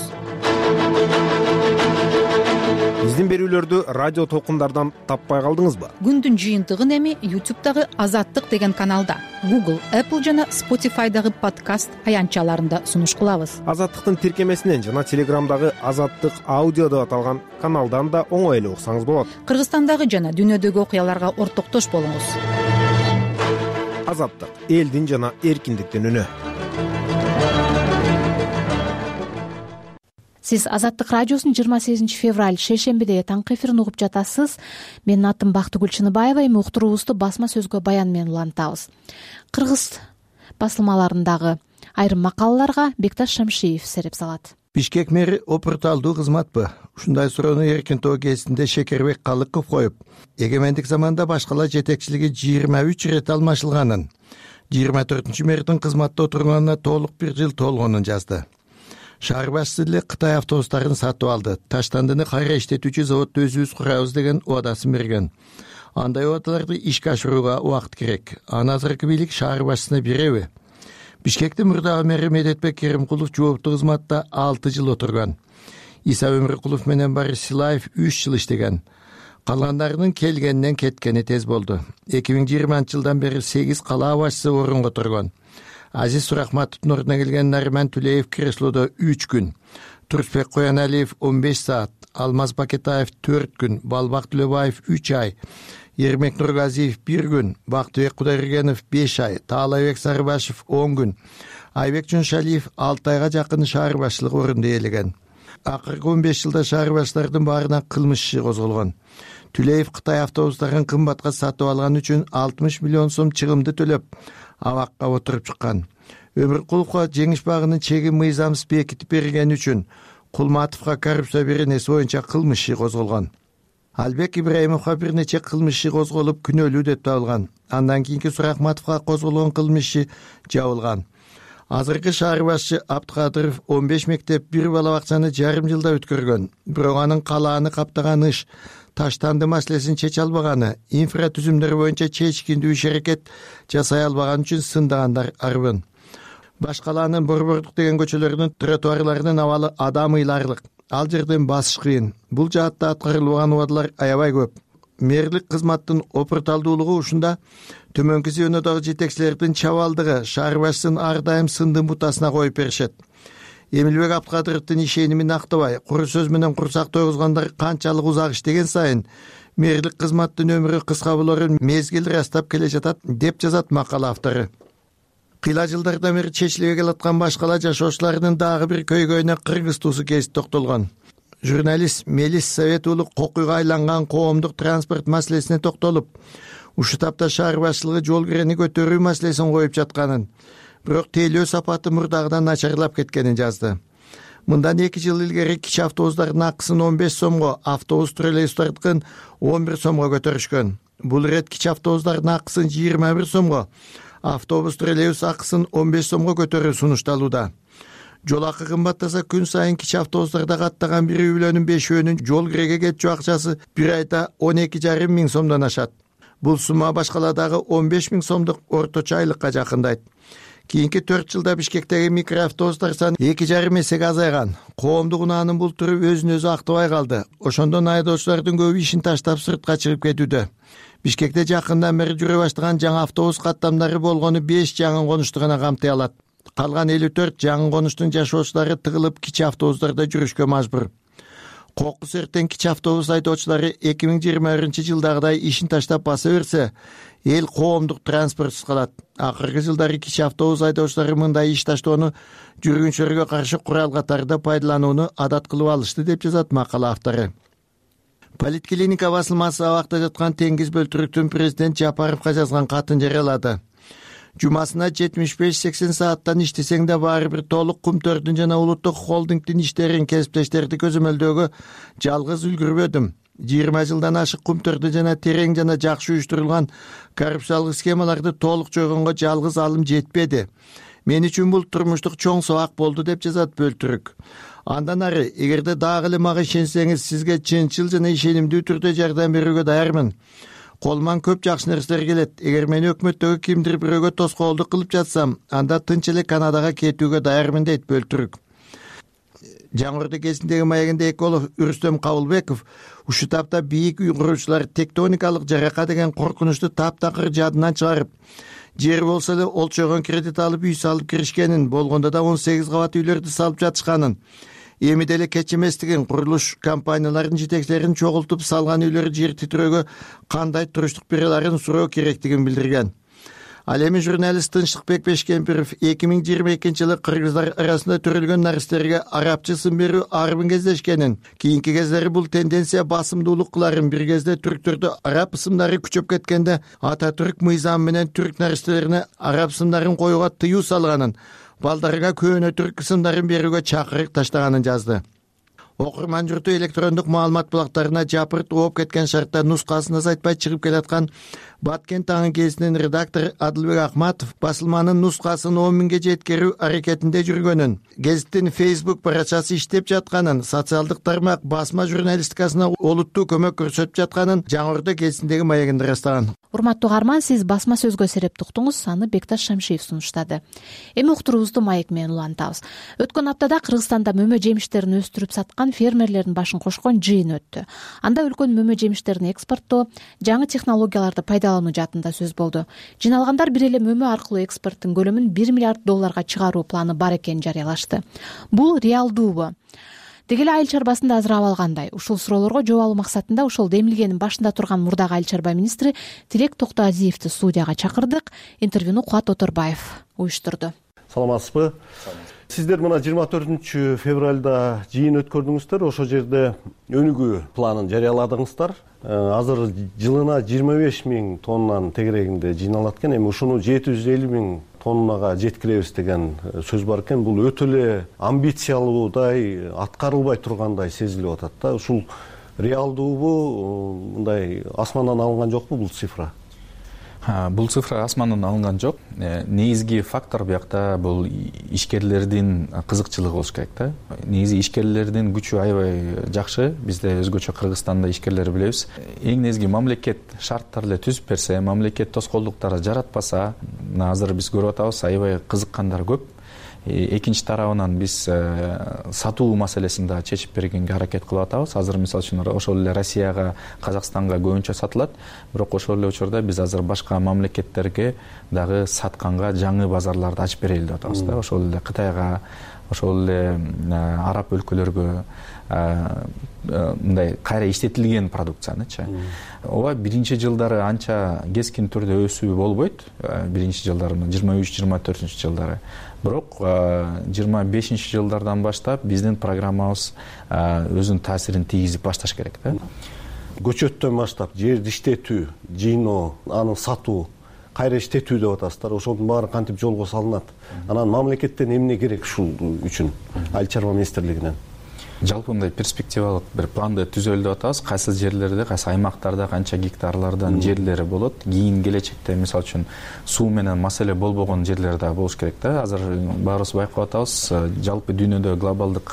Биздин берүүлөрдү радио толкундардан таппай калдыңызбы? Күндүн жыйынтыгын эми YouTube'дагы Азаттык деген каналда, Google, Apple жана Spotify'дагы подкаст аянтчаларында сунуш кылабыз. Азаттыктын тиркемесинен жана Телеграмдагы Азаттык аудио деп аталган каналдан да оңой эле уксаңыз болот. Кыргызстандагы жана дүйнөдөгү окуяларга ортоктош болуңуз. Азаттык, элдин жана эркиндиктин үнү. Сиз Азаттык радиосунун жыйырма сегизинчи февраль шейшембиде таңкы эфирин угуп жатасыз. Менин атым Бактыгүл Чыныбаева. Эми уктуруубузду басма сөзгө баян менен улантабыз. Кыргыз басылмаларындагы айрым макалаларга Бекташ Шамшиев сереп салат. Бишкек мэри опурталдуу кызматпы? Ушундай суроону эркин тоо кезинде Шекербек Калыков коюп, эгемендик заманда башкалар жетекчилиги жыйырма үч ирет алмашылганын, жыйырма төртүнчү мэрдин кызматта отурганына толук бир жыл толгонун жазды. Шаар башчысы эле Кытай автобустарын сатып алды. Таштандыны кайра иштетүүчү заводду өзүбүз курабыз деген убадасын берген. Андай убадаларды ишке ашырууга убакыт керек. Аны азыркы бийлик шаар башчысына береби? Бишкектин мурдагы мэри Медетбек Керимкулов жооптуу кызматта алты жыл отурган. Иса Өмүркулов менен Борис Силаев үч жыл иштеген. Калгандарынын келгенинен кеткени тез болду. эки миң жыйырманчы жылдан бери сегиз кала башчысы орунга турган. Азиз Сурахматовдун ордуна келген Нариман Тулеев креслодо үч күн, Турсбек Кояналиев он беш саат, Алмаз Бакетаев төрт күн, Балбак Төлөбаев үч ай, Ермек Нургазиев бир күн, Бактыбек Кудайбергенов беш ай, Таалайбек Сарыбашев он күн, Айбек Жуншалиев алты айга жакын шаар башчылык орунду ээлеген. Акыркы он беш жылда шаар башчылардын баарына кылмыш иши козголгон. Түлеев Кытай автобустарын кымбатка сатып алган үчүн алтымыш миллион сом чыгымды төлөп, абакка отуруп чыккан. Өмүркуловго жеңиш багынын чегин мыйзамсыз бекитип берген үчүн Кулматовго коррупция беренеси боюнча кылмыш иши козголгон. Албек Ибраимовго бир нече кылмыш иши козголуп күнөөлүү деп табылган. Андан кийинки Сурахматовго козголгон кылмыш иши жабылган. Азыркы шаар башчы Абдыкадыров он беш мектеп, бир бала бакчаны жарым жылда өткөргөн. Бирок анын калааны каптаган иш, таштанды маселесин чече албаганы, инфратүзүмдөр боюнча чечкиндүү иш-аракет жасай албаган үчүн сындагандар арбын. Башкалаанын Борбордук деген көчөлөрүнүн тротуарларынын абалы адам ыйларлык. Ал жерден басыш кыйын. Бул жаатта аткарылбаган убадалар аябай көп. Мэрлик кызматтын опурталдуулугу ушунда. Төмөнкү звенодогу жетекчилердин чабалдыгы шаар башчысын ар дайым сындын бутасына коюп беришет. Эмилбек Абдыкадыровдун ишенимин актабай, куру сөз менен курсак тойгузгандар канчалык узак иштеген сайын мэрлик кызматтын өмүрү кыска болорун мезгил ырастап келе жатат деп жазат макала автору. Кыйла жылдардан бери чечилбей келаткан башкала жашоочулардын дагы бир көйгөйүнө кыргыз туусу кесип токтолгон. Журналист Мелис Совет уулу кокуйга айланган коомдук транспорт маселесине токтолуп, ушу тапта шаар башчылыгы жол кирени көтөрүү маселесин коюп жатканын, бирок тейлөө сапаты мурдагыдан начарлап кеткенин жазды. Мындан эки жыл илгери кичи автобустардын акысын он беш сомго, автобус троллейбустардыкын он бир сомго көтөрүшкөн. Бул ирет кичи автобустардын акысын жыйырма бир сомго, автобус троллейбус акысын он беш сомго көтөрүү сунушталууда. Жол акы кымбаттаса күн сайын кичи автобустарда каттаган бир үй бүлөнүн бешөөнүн жол киреге кетчү акчасы бир айда он эки жарым миң сомдон ашат. Бул сумма башкалардагы он беш миң сомдук орточо айлыкка жакындайт. Кийинки төрт жылда Бишкектеги микроавтобустар саны эки жарым эсеге азайган. Коомдук унаанын бул түрү өзүн өзү актабай калды. Ошондон айдоочулардын көбү ишин таштап сыртка чыгып кетүүдө. Бишкекте жакындан бери жүрө баштаган жаңы автобус каттамдары болгону беш жаңы конушту гана камтый алат. Калган элүү төрт жаңы конуштун жашоочулары тыгылып кичи автобустарда жүрүшкө мажбур. Кокус эртен кичи автобус айдоочулары эки миң жыйырма биринчи жылдагыдай ишин таштап баса берсе, эл коомдук транспортсуз калат. Акыркы жылдары кичи автобус айдоочулары мындай иш таштоону жүргүнчүлөргө каршы курал катарында пайдаланууну адат кылып алышты деп жазат макала автору. Политклиника басылмасы абакта жаткан Теңиз Бөлтүрүктүн президент Жапаровго жазган катын жарыялады. Жумасына жетимиш беш сексен сааттан иштесең да баары бир толук Кумтөрдүн жана улуттук холдингдин иштерин кесиптештерди көзөмөлдөөгө жалгыз үлгүрбөдүм. жыйырма жылдан ашык Кумтөрдү жана терең жана жакшы уюштурулган коррупциялык схемаларды толук жойгонго жалгыз алым жетпеди. Мен үчүн бул турмуштук чоң сабак болду деп жазат Бөлтүрүк. Андан ары, эгерде дагы эле мага ишенсеңиз, сизге чынчыл жана ишенимдүү түрдө жардам берүүгө даярмын. Колуман көп жакшы нерселер келет. Эгер мен өкмөттөгү кимдир бирөөгө тоскоолдук кылып жатсам, анда тынч эле Канадага кетүүгө даярмын дейт Бөлтүрүк. Жаңы Орду кезиндеги маегинде эколог Үрүстөм Кабылбеков ушул тапта бийик үй куруучулар тектоникалык жарака деген коркунучту таптакыр жадынан чыгарып, жери болсо эле олчойгон кредит алып үй салып киришкенин, болгондо да он сегиз кабат үйлөрдү салып жатышканын, эми деле кеч эместигин, курулуш компанияларынын жетекчилерин чогултуп салган үйлөр жер титирөөгө кандай туруштук бере аларын суроо керектигин билдирген. Ал эми журналист Тынчтыкбек Бешкемпиров эки миң жыйырма экинчи жылы кыргыздар арасында төрөлгөн наристерге арабча сын берүү арбын кездешкенин, кийинки кездери бул тенденция басымдуулук кыларын, бир кезде түрктөрдө араб ысымдары күчөп кеткенде Ататүрк мыйзамы менен түрк наристелерине араб ысымдарын коюуга тыюу салганын, балдарга көөнө түрк ысымдарын берүүгө чакырык таштаганын жазды. Окурман журту электрондук маалымат булактарына жапырт ооп кеткен шартта нускасын азайтпай чыгып келаткан Баткен таңы гезитинин редактору Адылбек Акматов басылманын нускасын он миңге жеткирүү аракетинде жүргөнүн, гезиттин Facebook барачасы иштеп жатканын, социалдык тармак басма журналистикасына олуттуу көмөк көрсөтүп жатканын Жаңы Орду гезитиндеги маегинде ырастаган. Урматтуу угарман, сиз басма сөзгө серепти уктуңуз, аны Бекташ Шамшиев сунуштады. Эми уктуруубузду маек менен улантабыз. Өткөн аптада Кыргызстанда мөмө жемиштерин өстүрүп саткан фермерлердин башын кошкон жыйын өттү. Анда өлкөнүн мөмө жемиштерин экспорттоо, жаңы технологияларды пайдалануу жаатында сөз болду. Жиналгандар бир эле мөмө аркылуу экспорттун көлөмүн бир миллиард долларга чыгаруу планы бар экенин жарыялашты. Бул реалдуубу? Деги эле айыл чарбасында азырап алгандай? Ушул суроолорго жооп алуу максатында ошол демилгенин башында турган мурдагы айыл чарба министри Тилек Токтоазиевди студияга чакырдык. Интервьюну Кубат Оторбаев уюштурду. Саламатсызбы? Сиздер мына жыйырма төртүнчү февралда жыйын өткөрдүңүздөр, ошол жерде өнүгүү планын жарыяладыңыздар. Азыр жылына жыйырма беш миң тоннанын тегерегинде жыйналат экен. Эми ушуну жети жүз элүү миң тоннага жеткиребиз деген сөз бар экен. Бул өтө эле амбициялуудай, аткарылбай тургандай сезилип атат да. Ушул реалдуубу, мындай асмандан алынган жокпу бул цифра? Бул цифра асмандан алынган жок. Негизги фактор биякта бул ишкерлердин кызыкчылыгы болуш керек да. Негизи ишкерлердин күчү аябай жакшы. Бизде өзгөчө Кыргызстанда ишкерлер билебиз. Эң негизги мамлекет шарттар эле түзүп берсе, мамлекет тоскоолдуктарды жаратпаса, мына азыр биз көрүп атабыз, аябай кызыккандар көп. Экинчи тарабынан биз сатуу маселесин да чечип бергенге аракет кылып атабыз. Азыр мисалы үчүн ошол эле Россияга, Казакстанга көбүнчө сатылат, бирок ошол эле учурда биз азыр башка мамлекеттерге дагы сатканга жаңы базарларды ачып берели деп атабыз да. Ошол эле Кытайга, ошол эле араб өлкөлөргө мындай кайра иштетилген продукциянычы. Ооба биринчи жылдары анча кескин түрдө өсүү болбойт. Биринчи жылдары жыйырма үч жыйырма төртүнчү жылдары. Бирок жыйырма бешинчи жылдардан баштап биздин программабыз өзүнүн таасирин тийгизип башташ керек да. Көчөттөн баштап жерди иштетүү, жыйноо, аны сатуу, кайра иштетүү деп атасыздар. Ошонун баары кантип жолго салынат? Анан мамлекеттен эмне керек ушул үчүн айыл чарба министрлигинен? Жалпы мындай перспективалык бир планды түзөлүп деп атабыз. Кайсы жерлерде, кайсы аймактарда канча гектарлардан жерлери болот. Кийин келечекте мисалы үчүн суу менен маселе болбогон жерлер да болуш керек да. Азыр баарыбыз байкап атабыз, жалпы дүйнөдө глобалдык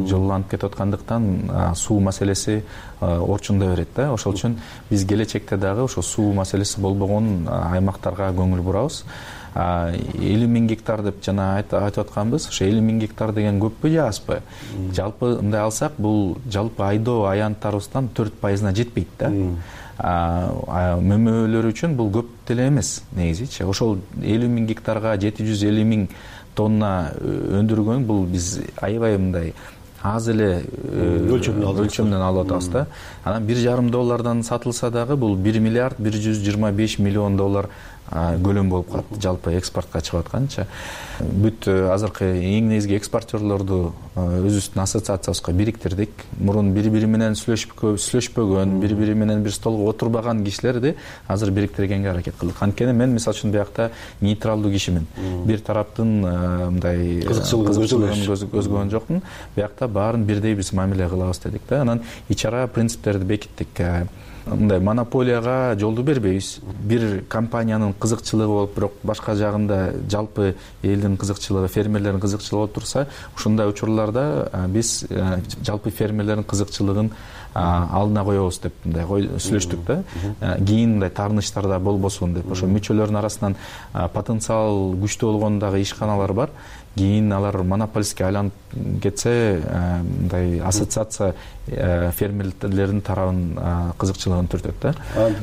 жолланып кетип аткандыктан суу маселеси орчунда берет да. Ошол үчүн биз келечекте дагы ошо суу маселеси болбогон аймактарга көңүл бурабыз. элүү миң гектар деп жана айтып атканбыз. Ошо элүү миң гектар деген көппү же азбы? Жалпы мындай алсак, бул жалпы айдоо аянттарыбыздан төрт пайызына жетпейт да. Мөмөлөр үчүн бул көп деле эмес негизичи. Ошол элүү миң гектарга жети жүз элүү миң тонна өндүргөн бул биз аябай мындай аз эле өлчөмдөн алып атабыз да. Анан бир жарым доллардан сатылса дагы бул бир миллиард бир жүз жыйырма беш миллион доллар көлөм болуп калат жалпы экспортко чыгып атканча. Бүт азыркы эң негизги экспорттерлорду өзүбүздүн ассоциациябызга бириктирдик. Мурун бири бири менен сүйлөшпөгөн, бири бири менен бир столго отурбаган кишилерди азыр бириктиргенге аракет кылдык. Анткени мен мисалы үчүн биякта нейтралдуу кишимин. Бир тараптын мындай кызыкчылыгын көзгөгөн жокмун. Биякта баарын бирдей биз мамиле кылабыз дедик да. Анан ичара принциптерди бекиттик. Мындай монополияга жолду бербейбиз. Бир компаниянын кызыкчылыгы болуп, бирок башка жагында жалпы элдин кызыкчылыгы, фермерлердин кызыкчылыгы болуп турса, ушундай учурларда биз жалпы фермерлердин кызыкчылыгын алдына коебуз деп мындай сүйлөштүк да. Кийин мындай таарынычтар да болбосун деп. Ошо мүчөлөрдүн арасынан потенциал күчтүү болгон дагы ишканалар бар. Кийин алар монополистке айланып кетсе, мындай ассоциация фермерлердин тарабын кызыкчылыгын түртөт да.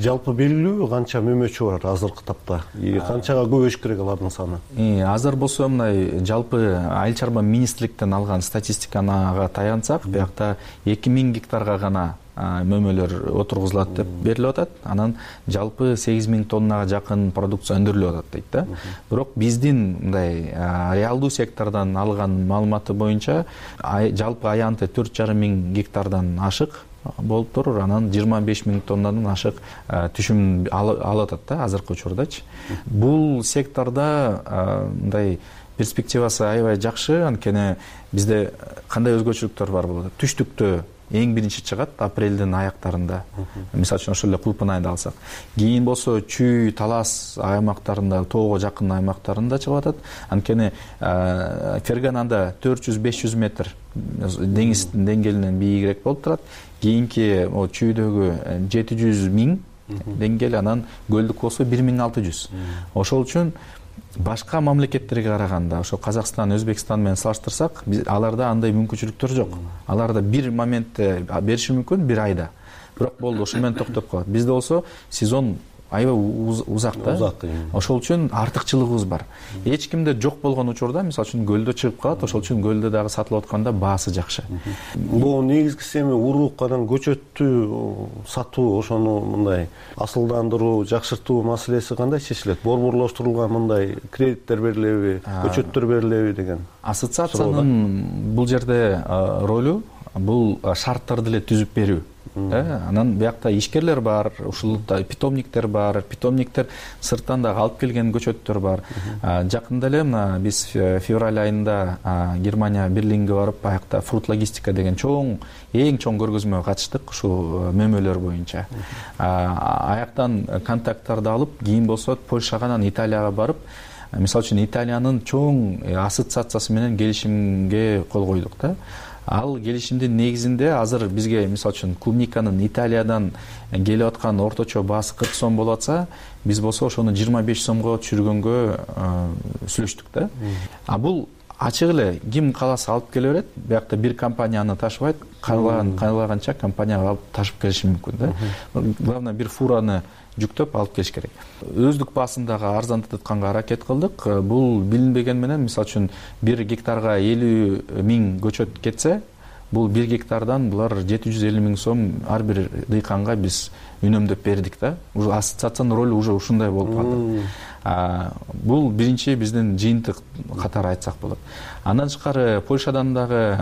Жалпы белгилүүбү канча мөмөчү бар азыркы тапта? Канчага көбөйүш керек алардын саны? Азыр болсо мындай жалпы айыл чарба министрликтен алган статистикага таянсак, биякта эки миң гектарга гана мөмөлөр отургузулат деп берилип атат. Анан жалпы сегиз миң тоннага жакын продукция өндүрүлүп атат дейт да. Бирок биздин мындай реалдуу сектордон алган маалыматы боюнча жалпы аянты төрт жарым миң гектардан ашык болуп турур. Анан жыйырма беш миң тоннадан ашык түшүм алып атат да азыркы учурдачы. Бул секторда мындай перспективасы аябай жакшы. Анткени бизде кандай өзгөчөлүктөр бар болот? Түштүктө эң биринчи чыгат апрелдин аяктарында. Мисалы үчүн ошол эле Кулпан айында алсак. Кийин болсо Чүй, Талас аймактарында, тоого жакын аймактарында чыгып атат. Анткени Ферганада төрт жүз беш жүз метр деңиздин деңгээлинен бийигирээк болуп турат. Кийинки Чүйдөгү жети жүз миң деңгээл, анан көлдүк болсо бир миң алты жүз. Ошол үчүн башка мамлекеттерге караганда, ошо Казакстан, Өзбекстан менен салыштырсак, аларда андай мүмкүнчүлүктөр жок. Аларда бир моментте бериши мүмкүн, бир айда. Бирок болду, ошо менен токтоп калат. Бизде болсо сезон аябай узак да. Ошол үчүн артыкчылыгыбыз бар. Эч кимде жок болгон учурда, мисалы үчүн көлдө чыгып калат, ошол үчүн көлдө дагы сатылып атканда баасы жакшы. Бул негизгиси эми урук анан көчөттү сатуу, ошону мындай асылдандыруу, жакшыртуу маселеси кандай чечилет? Борборлоштурулган мындай кредиттер берилеби, көчөттөр берилеби деген? Ассоциациянын бул жерде ролу бул шарттарды эле түзүп берүү. Анан биякта ишкерлер бар, ушул питомниктер бар, питомниктер сырттан дагы алып келген көчөттөр бар. Жакында эле мына биз февраль айында Германия Берлинге барып, аякта фрут логистика деген чоң, эң чоң көргөзмөгө катыштык ушул мөмөлөр боюнча. Аяктан контакттарды алып, кийин болсо Польшага, анан Италияга барып, мисалы үчүн Италиянын чоң ассоциациясы менен келишимге кол койдук да. Ал келишимдин негизинде азыр бизге мисалы үчүн клубниканын Италиядан келип аткан орточо баасы кырк сом болуп атса, биз болсо ошону жыйырма беш сомго түшүргөнгө сүйлөштүк да. А бул ачык эле ким кааласа алып келе берет. Биякта бир компанияны ташыбайт, каалаган каалаганча компанияга алып ташып келиши мүмкүн да. Главное бир фураны жүктөп алып келиш керек. Өздүк баасындагы арзандатканга аракет кылдык. Бул билинбеген менен, мисалы үчүн бир гектарга элүү миң көчөт кетсе, бул бир гектардан булар жети жүз элүү миң сом ар бир дыйканга биз үнөмдөп бердик да. Уже ассоциациянын ролу уже ушундай болуп калды. Бул биринчи биздин жыйынтык катары айтсак болот. Андан тышкары Польшадан дагы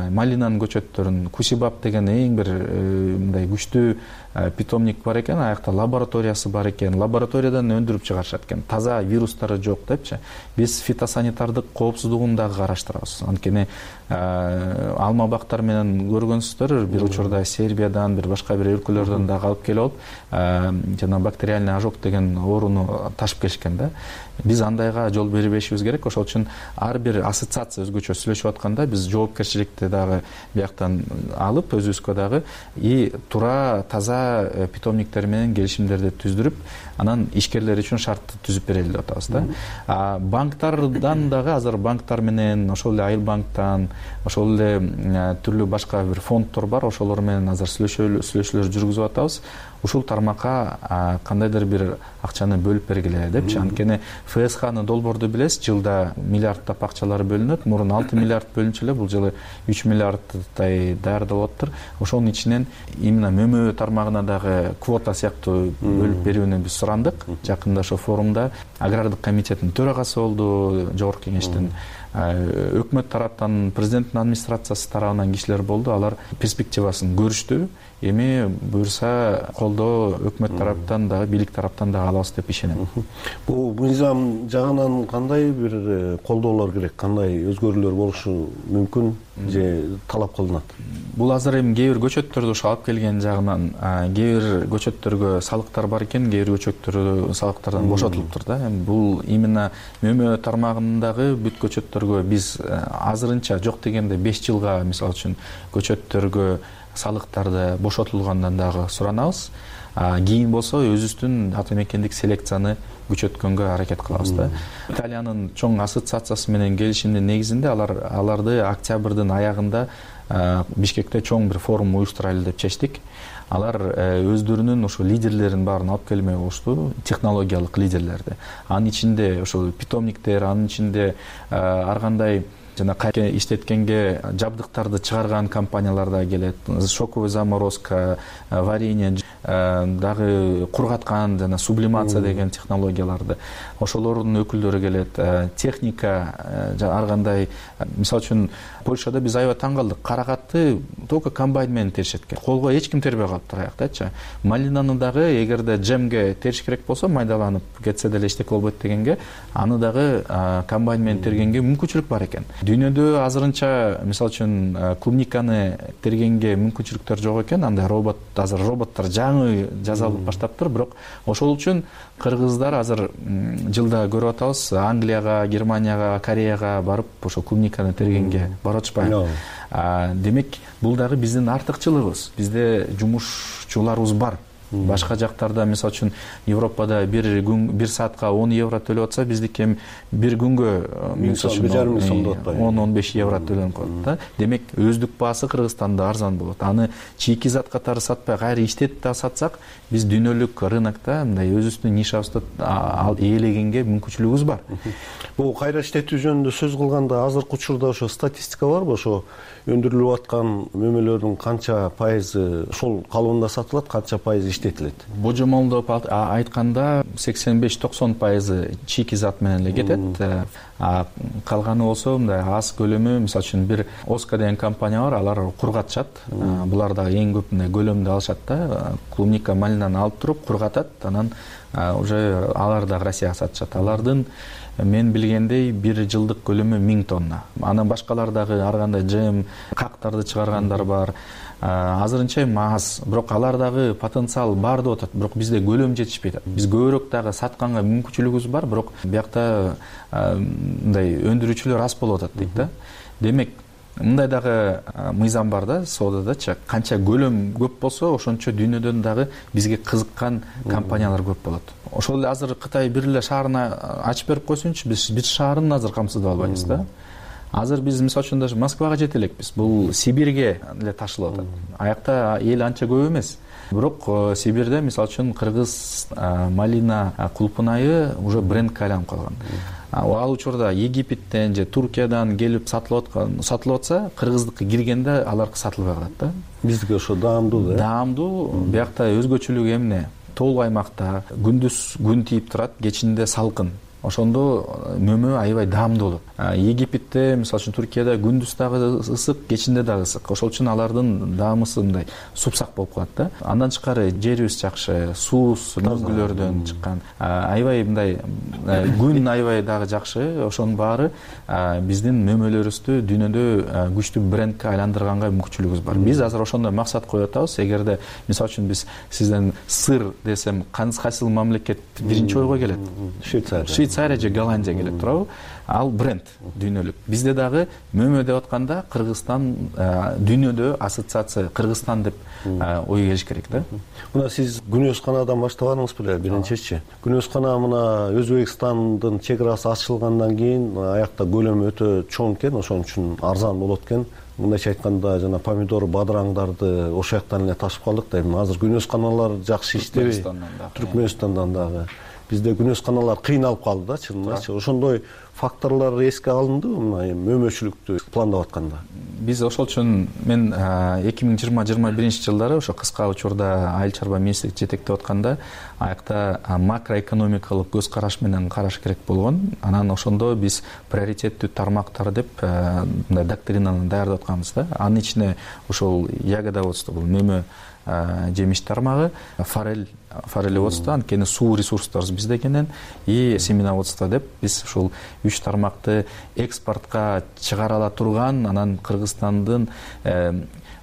малинанын көчөттөрүн, Кусибаб деген эң бир мындай күчтүү питомник бар экен, аякта лабораториясы бар экен, лабораториядан өндүрүп чыгарышат экен, таза вирустары жок депчи. Биз фитосанитардык коопсуздугун дагы караштырабыз. Анткени алма бактар менен көргөнсүздөр, бир учурда Сербиядан, бир башка бир өлкөлөрдөн дагы алып келип алып, жана бактериальный ожог деген ооруну ташып келишкен да. Биз андайга жол бербешибиз керек. Ошол үчүн ар бир ассоциация өзгөчө сүйлөшүп атканда биз жоопкерчиликти дагы бияктан алып, өзүбүзгө дагы и туура таза питомниктер менен келишимдерди түздүрүп, анан ишкерлер үчүн шартты түзүп берели деп атабыз да. А банктардан дагы азыр банктар менен, ошол эле Айыл банктан, ошол эле түрлүү башка бир фонддор бар, ошолор менен азыр сүйлөшүүлөр жүргүзүп атабыз. ушул тармакка кандайдыр бир акчаны бөлүп бергиле депчи. Анткени ФСХны долбоорду билесиз, жылда миллиарддап акчалар бөлүнөт. Мурун алты миллиард бөлүнчү эле, бул жылы үч миллиарддай даярдалып атыптыр. Ошонун ичинен именно мөмө тармагына дагы квота сыяктуу бөлүп берүүнү биз сурандык. Жакында ошо форумда агрардык комитеттин төрагасы болду, жогорку кеңештин өкмөт тараптан, президенттин администрациясы тарабынан кишилер болду. Алар перспективасын көрүштү. Эми буюрса колдоо өкмөт тараптан дагы, бийлик тараптан дагы алабыз деп ишенем. Бул мыйзам жагынан кандай бир колдоолор керек, кандай өзгөрүүлөр болушу мүмкүн же талап кылынат? Бул азыр эми кээ бир көчөттөрдү ошо алып келген жагынан, кээ бир көчөттөргө салыктар бар экен, кээ бир көчөттөр салыктардан бошотулуптур да. Эми бул именно мөмө тармагындагы бүт көчөттөргө биз азырынча жок дегенде беш жылга мисалы үчүн көчөттөргө салыктарды бошотулгандан дагы суранабыз. Кийин болсо өзүбүздүн ата мекендик селекцияны күчөткөнгө аракет кылабыз да. Италиянын чоң ассоциациясы менен келишимдин негизинде алар аларды октябрдын аягында Бишкекте чоң бир форум уюштурайлы деп чечтик. Алар өздөрүнүн ошо лидерлерин баарын алып келмек болушту, технологиялык лидерлерди. Анын ичинде ошо питомниктер, анын ичинде ар кандай жана кайра иштеткенге жабдыктарды чыгарган компаниялар да келет. Шоковый заморозка, варенье, дагы кургаткан жана сублимация деген технологияларды. Ошолордун өкүлдөрү келет. Техника, ар кандай, мисалы үчүн Польшада биз аябай таң калдык. Каракатты только комбайн менен теришет экен. Колго эч ким тербей калыптыр аяктачы. Малинаны дагы эгерде джемге териш керек болсо, майдаланып кетсе деле эчтеке болбойт дегенге, аны дагы комбайн менен тергенге мүмкүнчүлүк бар экен. Дүйнөдө азырынча мисалы үчүн клубниканы тергенге мүмкүнчүлүктөр жок экен. Андай робот, азыр роботтор жаңы жасалып баштаптыр, бирок ошол үчүн кыргыздар азыр жылда көрүп атабыз, Англияга, Германияга, Кореяга барып ошо клубниканы тергенге барып атышпайбы. Демек, бул дагы биздин артыкчылыгыбыз. Бизде жумушчуларыбыз бар. Башка жактарда мисалы үчүн Европада бир күн бир саатка он евро төлөп атса, биздики эми бир күнгө мисалы үчүн он он беш евро төлөнүп калат да. Демек, өздүк баасы Кыргызстанда арзан болот. Аны чийки зат катары сатпай, кайра иштетип да сатсак, биз дүйнөлүк рынокто мындай өзүбүздүн нишабызды ээлегенге мүмкүнчүлүгүбүз бар. Бул кайра иштетүү жөнүндө сөз кылганда, азыркы учурда ошо статистика барбы? Ошо өндүрүлүп аткан мөмөлөрдүн канча пайызы ошол калыбында сатылат, канча пайызы иштетилет? Божомолдоп айтканда сексен беш токсон пайызы чийки зат менен эле кетет. Калганы болсо мындай аз көлөмү, мисалы үчүн бир Оска деген компания бар, алар кургатышат. Булар да эң көп мындай көлөмдө алышат да. Клубника, малинаны алып туруп кургатат, анан уже алар да Россияга сатышат. Алардын мен билгендей бир жылдык көлөмү миң тонна. Анан башкалар дагы ар кандай джем, кактарды чыгаргандар бар. Азырынча эми аз, бирок алар дагы потенциал бар деп атат, бирок бизде көлөм жетишпейт. Биз көбүрөөк дагы сатканга мүмкүнчүлүгүбүз бар, бирок биякта мындай өндүрүүчүлөр аз болуп атат дейт да. Демек, мындай дагы мыйзам бар да, соодадачы. Канча көлөм көп болсо, ошончо дүйнөдөн дагы бизге кызыккан компаниялар көп болот. Ошол эле азыр Кытай бир эле шаарына ачып берип койсунчу, биз бир шаарын азыр камсыздап албайбыз да. Азыр биз мисалы үчүн даже Москвага жете элекпиз. Бул Сибирге эле ташылып атат. Аякта эл анча көп эмес. Бирок Сибирде мисалы үчүн кыргыз малина кулпунайы уже брендке айланып калган. Ал учурда Египеттен же Туркиядан келип сатылып аткан, сатылып атса, кыргыздыкка киргенде аларкы сатылбай калат да. Биздики ошо даамдуу да. Даамдуу, биякта өзгөчөлүгү эмне? Тоолуу аймакта күндүз күн тийип турат, кечинде салкын. Ошондо мөмө аябай даамдуу болот. Египетте, мисалы үчүн Туркияда күндүз дагы ысык, кечинде дагы ысык. Ошол үчүн алардын даамысы мындай супсак болуп калат да. Андан тышкары жерибиз жакшы, суубуз мөңгүлөрдөн чыккан. Аябай мындай күн аябай дагы жакшы. Ошонун баары биздин мөмөлөрүбүздү дүйнөдө күчтүү брендке айландырганга мүмкүнчүлүгүбүз бар. Биз азыр ошондой максат коюп атабыз. Эгерде мисалы үчүн биз сизден сыр десем, кайсыл мамлекет биринчи ойго келет? Швейцария. Швейцария же Голландия келет турабы? Ал бренд дүйнөлүк. Бизде дагы мөмө деп атканда Кыргызстан дүйнөдө ассоциация Кыргызстан деп ой келиш керек да. Мына сиз күнөөсканадан баштабадыңыз беле биринчичи? Күнөөскана мына Өзбекстандын чек арасы ачылгандан кийин аякта көлөмү өтө чоң экен, ошон үчүн арзан болот экен. мындайча айтканда жана помидор, бадыраңдарды ошол жактан эле ташып калдык да. Эми азыр күнөөс каналар жакшы иштебей, Түркмөнстандан дагы бизде күнөөс каналар кыйналып калды да, чынындачы. Ошондой факторлор эске алындыбы мына мөмөчүлүктү пландап атканда? Биз ошол үчүн мен эки миң жыйырма жыйырма биринчи жылдары ошо кыска учурда айыл чарба министрлик жетектеп атканда аякта макроэкономикалык көз караш менен караш керек болгон. Анан ошондо биз приоритеттүү тармактар деп мындай доктринаны даярдап атканбыз да. Анын ичине ошол ягодоводство, бул мөмө жемиш тармагы, форель форелеводство, анткени суу ресурстарыбыз бизде экенин, и семеноводство деп биз ушул үч тармакты экспортко чыгара ала турган, анан Кыргызстандын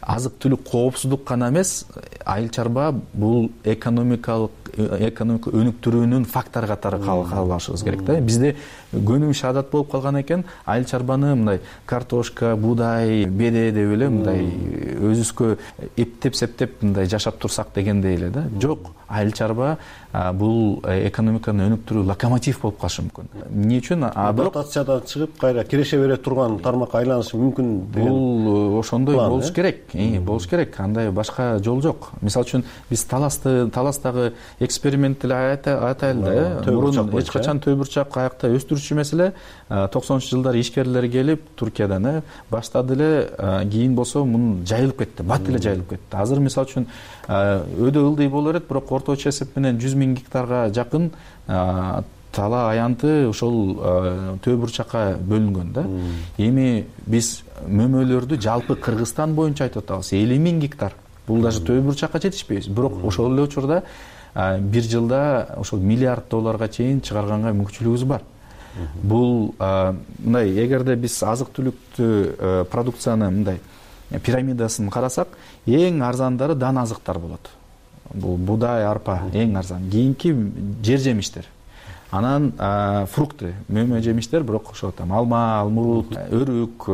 азык түлүк коопсуздук гана эмес, айыл чарба бул экономикалык экономика өнүктүрүүнүн фактор катары кабыл алышыбыз керек да. Бизде көнүмүш адат болуп калган экен, айыл чарбаны мындай картошка, буудай, беде деп эле мындай өзүбүзгө эптеп септеп мындай жашап турсак дегендей эле да. Жок, айыл чарба бул экономиканы өнүктүрүү локомотив болуп калышы мүмкүн. Эмне үчүн? Дотациядан чыгып кайра киреше бере турган тармакка айланышы мүмкүн деген. Бул ошондой болуш керек. Болуш керек. Андай башка жол жок. Мисалы үчүн биз таласты, таластагы экспериментти айтайлы да. Мурун эч качан төй бурчак аякта өстүрүчү эмес эле. токсонунчу жылдары ишкерлер келип Туркиядан баштады эле, кийин болсо муну жайылып кетти, бат эле жайылып кетти. Азыр мисалы үчүн өдө ылдый болор эт, бирок орточо эсеп менен жүз миң гектарга жакын тала аянты ошол төй бурчакка бөлүнгөн да. Эми биз мөмөлөрдү жалпы Кыргызстан боюнча айтып атабыз, элүү миң гектар. Бул даже төй бурчакка жетишпейбиз. Бирок ошол эле учурда бир жылда ошол миллиард долларга чейин чыгарганга мүмкүнчүлүгүбүз бар. Бул мындай, эгерде биз азык түлүктү продукцияны мындай пирамидасын карасак, эң арзандары дан азыктар болот. Бул буудай, арпа эң арзан. Кийинки жер жемиштер. Анан фрукты, мөмө жемиштер, бирок ошо там алма, алмурут, өрүк,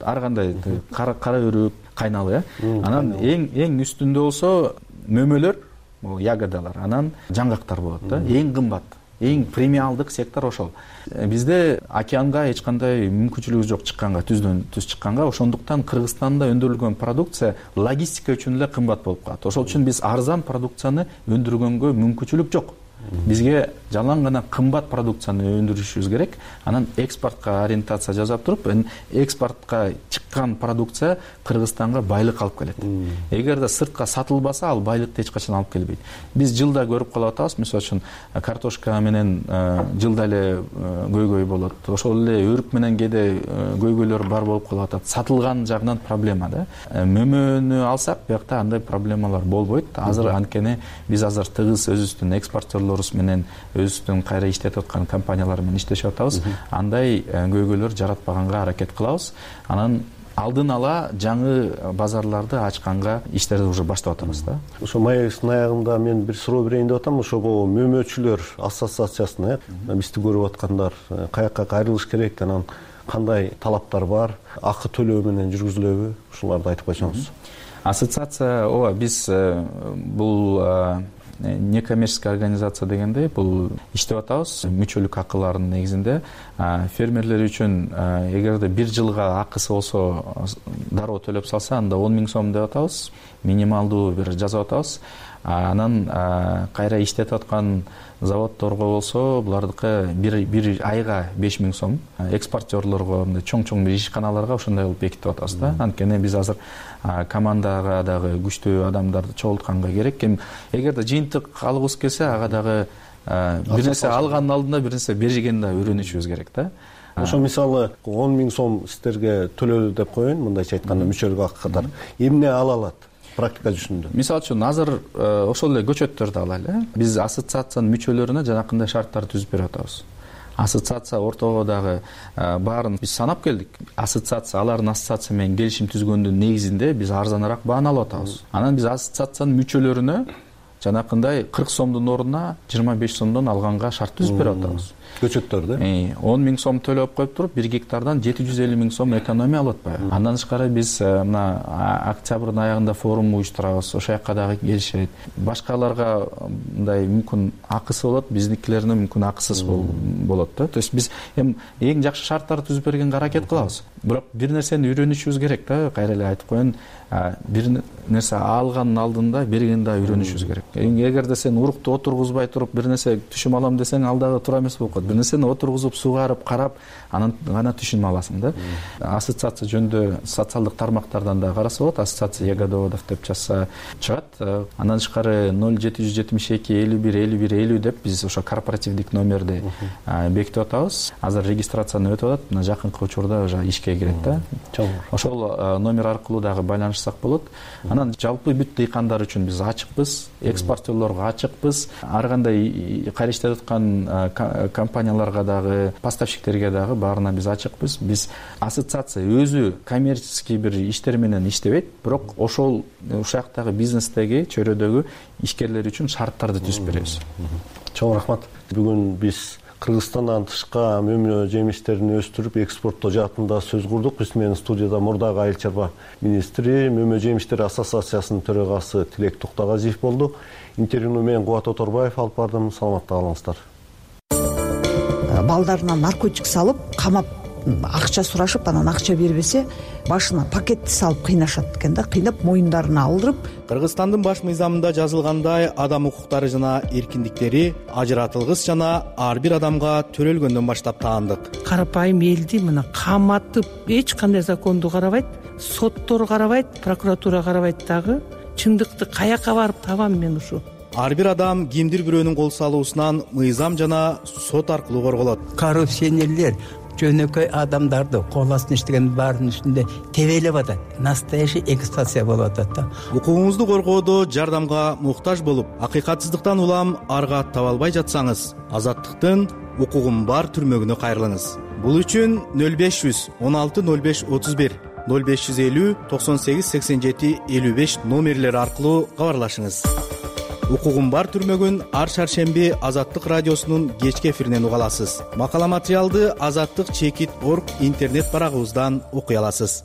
ар кандай кара өрүк, кайналы. Анан эң эң үстүндө болсо мөмөлөр, бул ягодалар, анан жаңгактар болот да. Эң кымбат, эң премиалдык сектор ошол. Бизде океанга эч кандай мүмкүнчүлүгүбүз жок чыкканга, түздөн түз чыкканга. Ошондуктан Кыргызстанда өндүрүлгөн продукция логистика үчүн эле кымбат болуп калат. Ошол үчүн биз арзан продукцияны өндүргөнгө мүмкүнчүлүк жок. Бизге жалаң гана кымбат продукцияны өндүрүшүбүз керек. Анан экспортко ориентация жасап туруп, экспортко чыккан продукция Кыргызстанга байлык алып келет. Эгерде сыртка сатылбаса, ал байлыкты эч качан алып келбейт. Биз жылда көрүп калып атабыз, мисалы үчүн картошка менен жылда эле көйгөй болот. Ошол эле өрүк менен кээде көйгөйлөр бар болуп калып атат. Сатылган жагынан проблема да. Мөмөнү алсак, биякта андай проблемалар болбойт. Азыр анткени биз азыр тыгыз өзүбүздүн экспортерлор менен өзүбүздүн кайра иштетип аткан компаниялар менен иштешип атабыз. Андай көйгөйлөр жаратпаганга аракет кылабыз. Анан алдын ала жаңы базарларды ачканга иштерди уже баштап атабыз да. Ошо маегибиздин аягында мен бир суроо берейин деп атам. Ошо мөмөчүлөр ассоциациясына бизди көрүп аткандар каякка кайрылыш керек, анан кандай талаптар бар, акы төлөө менен жүргүзүлөбү? Ушуларды айтып койсоңуз. Ассоциация, ооба, биз бул некоммерческая организация дегенде бул иштеп атабыз. Мүчөлүк акыларынын негизинде фермерлер үчүн эгерде бир жылга акысы болсо дароо төлөп салса, анда он миң сом деп атабыз. Минималдуу бир жазып атабыз. Анан кайра иштетип аткан заводдорго болсо, булардыкы бир бир айга беш миң сом. Экспортерлорго, мындай чоң-чоң бир ишканаларга ошондой кылып бекитип атабыз да. Анткени биз азыр командага дагы күчтүү адамдарды чогултканга керек. Эгерде жыйынтык алгыбыз келсе, ага дагы бир нерсе алгандын алдында бир нерсе бергенди да үйрөнүшүбүз керек да. Ошо мисалы он миң сом сиздерге төлөлдү деп коеюн, мындайча айтканда мүчөлүк акы катары. Эмне ала алат? Практика жүзүндө. Мисалы үчүн азыр ошол эле көчөттөрдү алайлы. Биз ассоциациянын мүчөлөрүнө жанакындай шарттар түзүп берип атабыз. Ассоциация ортого дагы баарын биз санап келдик. Ассоциация, алардын ассоциация менен келишим түзгөндүн негизинде биз арзаныраак бааны алып атабыз. Анан биз ассоциациянын мүчөлөрүнө жанакындай кырк сомдун ордуна жыйырма беш сомдон алганга шарт түзүп берип атабыз. көчөттөрдү он миң сом төлөп коюп туруп бир гектардан жети жүз элүү миң сом экономия алып атпайбы. Андан тышкары биз мына октябрдын аягында форум уюштурабыз, ошол жака дагы келишет. Башкаларга мындай мүмкүн акысы болот, биздикилерне мүмкүн акысыз болот да. То есть биз эми эң жакшы шарттарды түзүп бергенге аракет кылабыз. Бирок бир нерсени үйрөнүшүбүз керек да. Кайра эле айтып коеюн, бир нерсе алгандын алдында бергенди да үйрөнүшүбүз керек. Эгерде сен урукту отургузбай туруп бир нерсе түшүм алам десең, ал дагы туура эмес болуп калат. Бир нерсени отургузуп, сугарып, карап, анан гана түшүм аласың да. Ассоциация жөнүндө социалдык тармактардан да караса болот. Ассоциация ягодоводов деп жазса чыгат. Андан тышкары ноль жети жүз жетимиш эки элүү бир элүү бир элүү деп биз ошо корпоративдик номерди бекитип атабыз. Азыр регистрацияны өтүп атат. Мына жакынкы учурда уже ишке кирет да. Ошол номер аркылуу дагы байланышсак болот. Анан жалпы бүт дыйкандар үчүн биз ачыкпыз, экспортерлорго ачыкпыз. Ар кандай кайра иштеп аткан компанияларга дагы, поставщиктерге дагы баарына биз ачыкпыз. Биз ассоциация өзү коммерческий бир иштер менен иштебейт, бирок ошол ушактагы бизнестеги, чөйрөдөгү ишкерлер үчүн шарттарды түзүп беребиз. Чоң рахмат. Бүгүн биз Кыргызстандан тышка мөмө жемиштерин өстүрүп экспорттоо жаатында сөз курдук. Биз менен студияда мурдагы айыл чарба министри, мөмө жемиштери ассоциациясынын төрагасы Тилек Токтогазиев болду. Интервьюну мен Кубат Оторбаев алып бардым. Саламатта калыңыздар. Балдарына наркотик салып, камап акча сурашып, анан акча бербесе, башына пакетти салып кыйнашат экен да, кыйнап моюндарына алдырып. Кыргызстандын баш мыйзамында жазылгандай, адам укуктары жана эркиндиктери ажыратылгыс жана ар бир адамга төрөлгөндөн баштап таандык. Карапайым элди мына каматып, эч кандай законду карабайт, соттор карабайт, прокуратура карабайт дагы. Чындыкты каяка барып табам мен ушу? Ар бир адам кимдир бирөөнүн кол салуусунан мыйзам жана сот аркылуу корголот. Коррупционерлер жөнөкөй адамдарды кол астында иштеген баардын үстүндө тебелеп атат. Настоящий эксплуатация болуп атат да. Укугуңузду коргоодо жардамга муктаж болуп, акыйкатсыздыктан улам арга таба албай жатсаңыз, Азаттыктын укугум бар түрмөгүнө кайрылыңыз. Бул үчүн нөл беш жүз он алты нөл беш отуз бир, нөл беш жүз элүү токсон сегиз сексен жети элүү беш номерлери аркылуу кабарлашыңыз. Укугум бар түрмөгүн ар шаршемби Азаттык радиосунун кечки эфиринен уга аласыз. Макала материалды азаттык чекит точка орг интернет барагыбыздан окуй аласыз.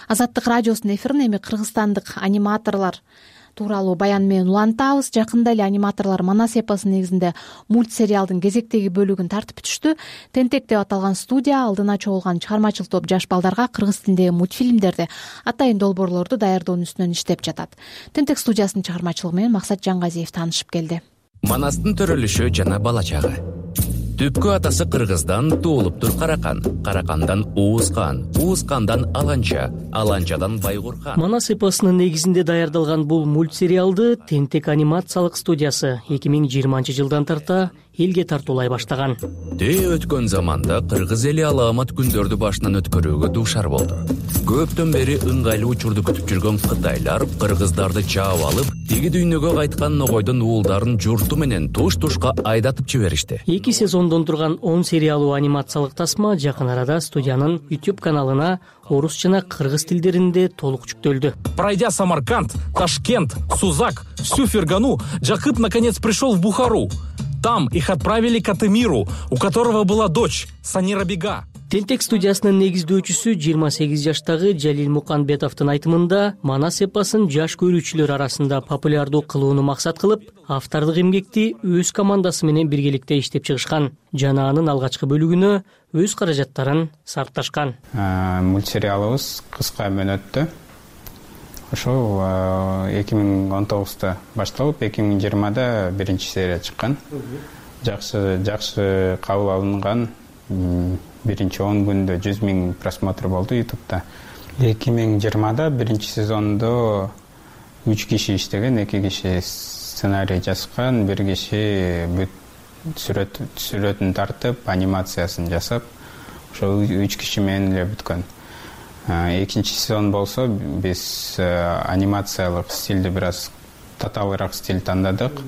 Азаттык радиосунун эфирин эми кыргызстандык аниматорлор тууралуу баян менен улантабыз. Жакында эле аниматорлор Манас эпосунун негизинде мультсериалдын кезектеги бөлүгүн тартып бүтүштү. Тентек деп аталган студия алдына чогулган чыгармачыл топ жаш балдарга кыргыз тилиндеги мультфильмдерди, атайын долбоорлорду даярдоонун үстүнөн иштеп жатат. Тентек студиясынын чыгармачылыгы менен Максат Жангазиев таанышып келди. Манастын төрөлүшү жана бала чагы. Түпкү атасы Кыргыздан туулуптур Каракан, Каракандан Уускан, Уускандан Аланча, Аланчадан Байгурхан. Манас эпосунун негизинде даярдалган бул мультсериалды Тентек анимациялык студиясы эки миң жыйырманчы жылдан тарта элге тартуулай баштаган. Тээ өткөн заманда кыргыз эли алаамат күндөрдү башынан өткөрүүгө дуушар болду. Көптөн бери ыңгайлуу учурду күтүп жүргөн кытайлар кыргыздарды чаап алып, тиги дүйнөгө кайткан ногойдун уулдарын журту менен туш-тушка айдатып жиберишти. Эки сезондон турган он сериялуу анимациялык тасма жакын арада студиянын YouTube каналына орус жана кыргыз тилдеринде толук жүктөлдү. Пройдя Самарканд, Ташкент, Сузак, всю Фергану, Жакып наконец пришел в Бухару. Там их отправили к Атемиру, у которого была дочь Санира Бега. Тентек студиясынын негиздөөчүсү жыйырма сегиз жаштагы Жалил Муканбетовдун айтымында Манас эпосун жаш көрүүчүлөр арасында популярдуу кылууну максат кылып, автордук эмгекти өз командасы менен биргеликте иштеп чыгышкан жана анын алгачкы бөлүгүнө өз каражаттарын сарпташкан. Мультсериалыбыз кыска мөөнөттө ошол эки миң он тогузда башталып, эки миң жыйырмада биринчи серия чыккан. Жакшы жакшы кабыл алынган. Биринчи он күндө жүз миң просмотр болду YouTube'да. эки миң жыйырмада биринчи сезондо үч киши иштеген, эки киши сценарий жазган, бир киши бүт сүрөт сүрөтүн тартып, анимациясын жасап, ошол үч киши менен эле бүткөн. Экинчи сезон болсо биз анимациялык стилди бир аз татаалыраак стиль тандадык.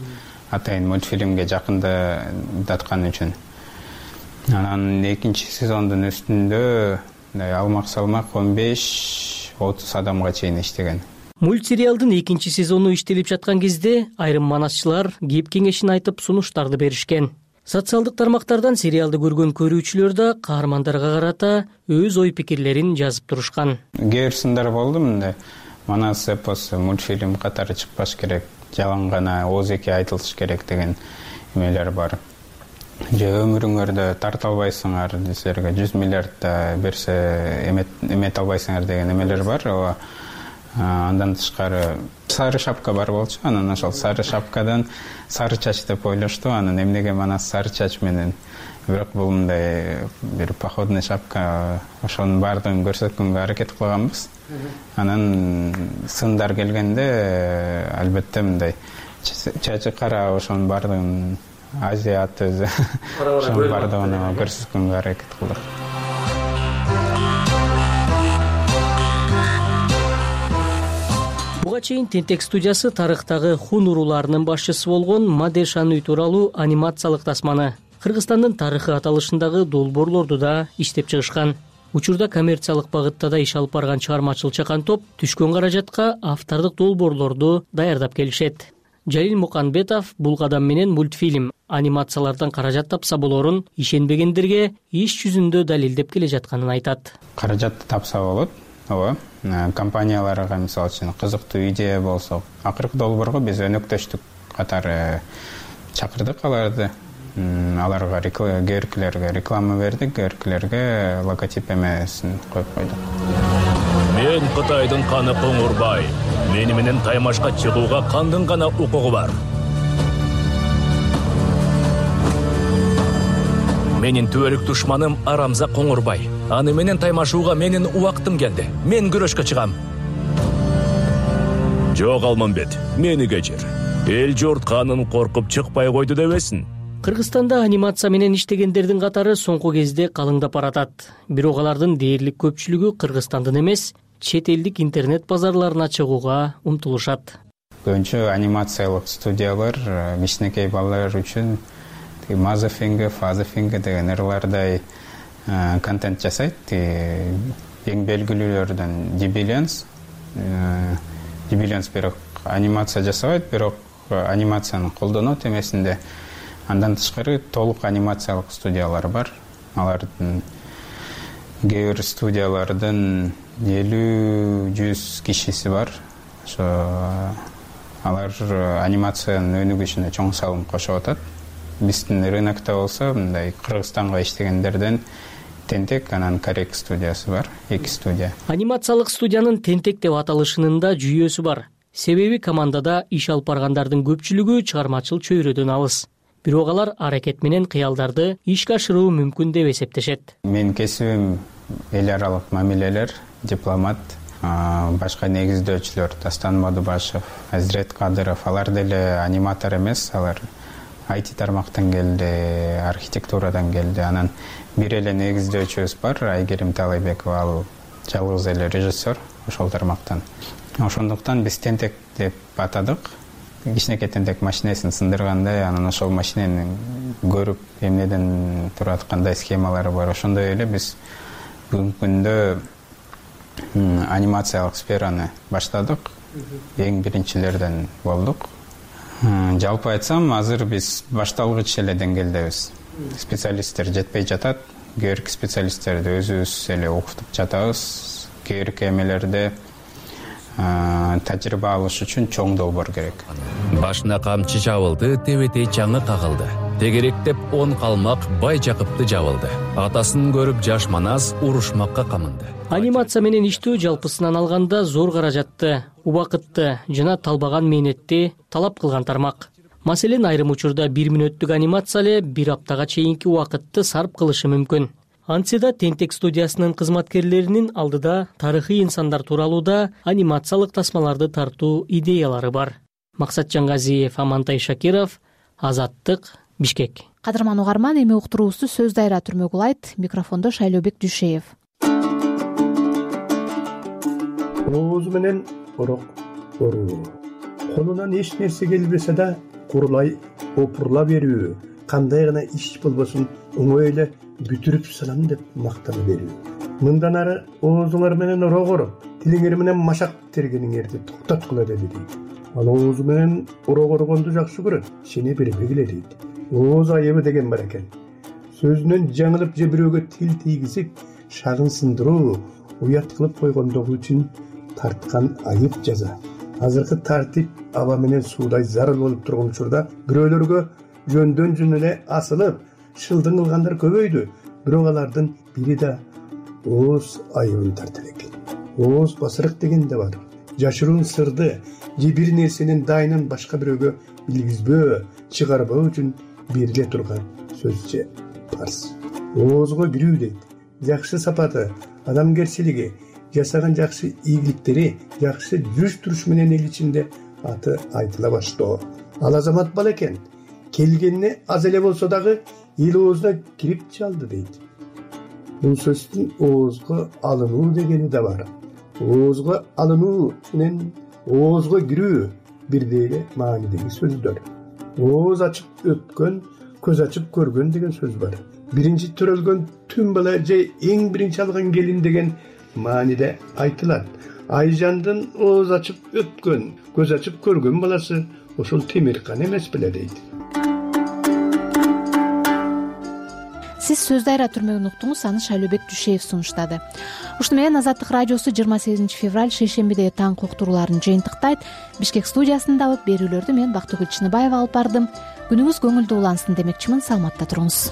Атайын мультфильмге жакындаткан үчүн. Анан экинчи сезондун үстүндө алмак салмак он беш отуз адамга чейин иштеген. Мультсериалдын экинчи сезону иштелип жаткан кезде айрым манасчылар кеп кеңешин айтып сунуштарды беришкен. Социалдык тармактардан сериалды көргөн көрүүчүлөр да каармандарга карата өз ой пикирлерин жазып турушкан. Кээ бир сындар болду мындай манас эпосу мультфильм катары чыкпаш керек, жалаң гана оозеки айтылыш керек деген эмелер бар. Же өмүрүңөрдө тарта албайсыңар, силерге жүз миллиард берсе эмете албайсыңар деген эмелер бар. Ооба. Андан тышкары сары шапка бар болчу. Анан ошол сары шапкадан сары чач деп ойлошту. Анан эмнеге манас сары чач менен, бирок бул мындай бир походный шапка, ошонун баардыгын көрсөткөнгө аракет кылганбыз. Анан сындар келгенде албетте мындай чачы кара, ошонун баардыгын азиат өзү ошонун баардыгын көрсөткөнгө аракет кылдык. Буга чейин Тентек студиясы тарыхтагы хун урууларынын башчысы болгон Мадешаны тууралуу анимациялык тасманы Кыргызстандын тарыхы аталышындагы долбоорлорду да иштеп чыгышкан. Учурда коммерциялык багытта да иш алып барган чыгармачыл чакан топ түшкөн каражатка автордук долбоорлорду даярдап келишет. Жалил Муканбетов бул кадам менен мультфильм, анимациялардан каражат тапса болорун ишенбегендерге иш жүзүндө далилдеп келе жатканын айтат. Каражатты тапса болот. Ооба. Компанияларга мисалы үчүн кызыктуу идея болсо, акыркы долбоорго биз өнөктөштүк катары чакырдык аларды. Аларга көркүлөргө реклама бердик, көркүлөргө логотип эмесин коюп койдук. Мен Кытайдын каны Коңурбай. Мени менен Таймашка чыгууга кандын гана укугу бар. Менин түбөлүк душманым Арамза Коңурбай. Аны менен таймашууга менин убактым келди. Мен күрөшкө чыгам. Жок Алмамбет, мени кечир. Эл журт канын коркуп чыкпай койду дебесин. Кыргызстанда анимация менен иштегендердин катары соңку кезде калыңдап баратат. Бирок алардын дээрлик көпчүлүгү Кыргызстандын эмес, чет элдик интернет базарларына чыгууга умтулушат. Көбүнчө анимациялык студиялар кичинекей балалар үчүн Мазафинге, Фазафинге деген ырлардай контент жасайт. Эң белгилүүлөрдөн Дибилянс. Дибилянс бирок анимация жасабайт, бирок анимацияны колдонот эмесинде. Андан тышкары толук анимациялык студиялар бар. Алардын кээ бир студиялардын элүү жүз кишиси бар. Ошо алар анимациянын өнүгүшүнө чоң салым кошуп атат. Биздин рынокто болсо мындай Кыргызстанга иштегендерден Тентек, анан Корек студиясы бар, эки студия. Анимациялык студиянын Тентек деп аталышынын да жүйөсү бар. Себеби командада иш алып баргандардын көпчүлүгү чыгармачыл чөйрөдөн алыс. Бирок алар аракет менен кыялдарды ишке ашыруу мүмкүн деп эсептешет. Мен кесибим эл аралык мамилелер, дипломат, башка негиздөөчүлөр Дастан Мадубашев, Азирет Кадыров, алар деле аниматор эмес, алар ай ти тармактан келди, архитектурадан келди. Анан бир эле негиздөөчүбүз бар, Айгерим Талайбекова, ал жалгыз эле режиссер ошол тармактан. Ошондуктан биз Тентек деп атадык. Кичинекей тентек машинесин сындыргандай, анан ошол машинени көрүп эмнеден турат, кандай схемалары бар. Ошондой эле биз бүгүнкү күндө анимациялык сфераны баштадык. Эң биринчилерден болдук. Жалпы айтсам, азыр биз башталгыч эле деңгээлдебиз. Специалисттер жетпей жатат. Кээ бир специалисттерди өзүбүз эле окутуп жатабыз. Кээ бир эмелерде тажрыйба алыш үчүн чоң долбоор керек. Башына камчы жабылды, тебетей чаңы кагылды. Тегеректеп он калмак Бай Жакыпты жабылды. Атасын көрүп жаш манас урушмакка камынды. Анимация менен иштөө жалпысынан алганда зор каражатты, убакытты жана талбаган мээнетти талап кылган тармак. Маселен, айрым учурда бир мүнөттүк анимация эле бир аптага чейинки убакытты сарп кылышы мүмкүн. Антседа Тентек студиясынын кызматкерлеринин алдыда тарыхый инсандар тууралуу да анимациялык тасмаларды тартуу идеялары бар. Максат Жаңгазиев, Амантай Шакиров, Азаттык, Бишкек. Кадырман угарман, эми уктуруубузду сөз дайра түрмөгүл айт. Микрофондо Шайлообек Дүйшеев. Оозу менен орок оруу. Колунан эч нерсе келбесе да курулай опурла берүү. Кандай гана иш болбосун оңой эле бүтүрүп салам деп мактана берүү. Мындан ары оозуңар менен орогор, тилиңер менен машак тергениңерди токтоткула деди дейт. Ал оозу менен орогоргонду жакшы көрөт, сени бербегиле дейт. ооз айыбы деген бар экен. Сөзүнөн жаңылып же бирөөгө тил тийгизип шагын сындыруу, уят кылып койгондугу үчүн тарткан айып жаза. Азыркы тартип аба менен суудай зарыл болуп турган учурда бирөөлөргө жөндөн жөн эле асылып шылдың кылгандар көбөйдү. Бирок алардын бири да ооз айыбын тарта экен. Ооз басырык деген да бар. Жашыруун сырды же бир нерсенин дайынын башка бирөөгө билгизбөө, чыгарбоо үчүн бериле турган сөз же парс. Оозго кирүү дейт. Жакшы сапаты, адамгерчилиги, жасаган жакшы ийгиликтери, жакшы жүз туруш менен эл ичинде аты айтыла баштоо. Ал азамат бала экен. Келгенине аз эле болсо дагы эл оозуна кирип чалды дейт. Бул сөздүн оозго алынуу дегени да бар. Оозго алынуу менен оозго кирүү бирдей эле маанидеги сөздөр. Ооз ачып өткөн, көз ачып көргөн деген сөз бар. Биринчи төрөлгөн түн бала же эң биринчи алган келин деген мааниде айтылат. Айжандын ооз ачып өткөн, көз ачып көргөн баласы ошол Темиркан эмес беле дейт. Сиз сөз дайра түрмөгүн уктуңуз, аны Шайлообек Жушеев сунуштады. Ушуну менен Азаттык радиосу жыйырма сегизинчи февраль шейшембидеги таң уктурууларын жыйынтыктайт. Бишкек студиясындагы берүүлөрдү мен Бактыгүл Чыныбаева алып бардым. Күнүңүз көңүлдүү улансын демекчимин. Саламатта туруңуз.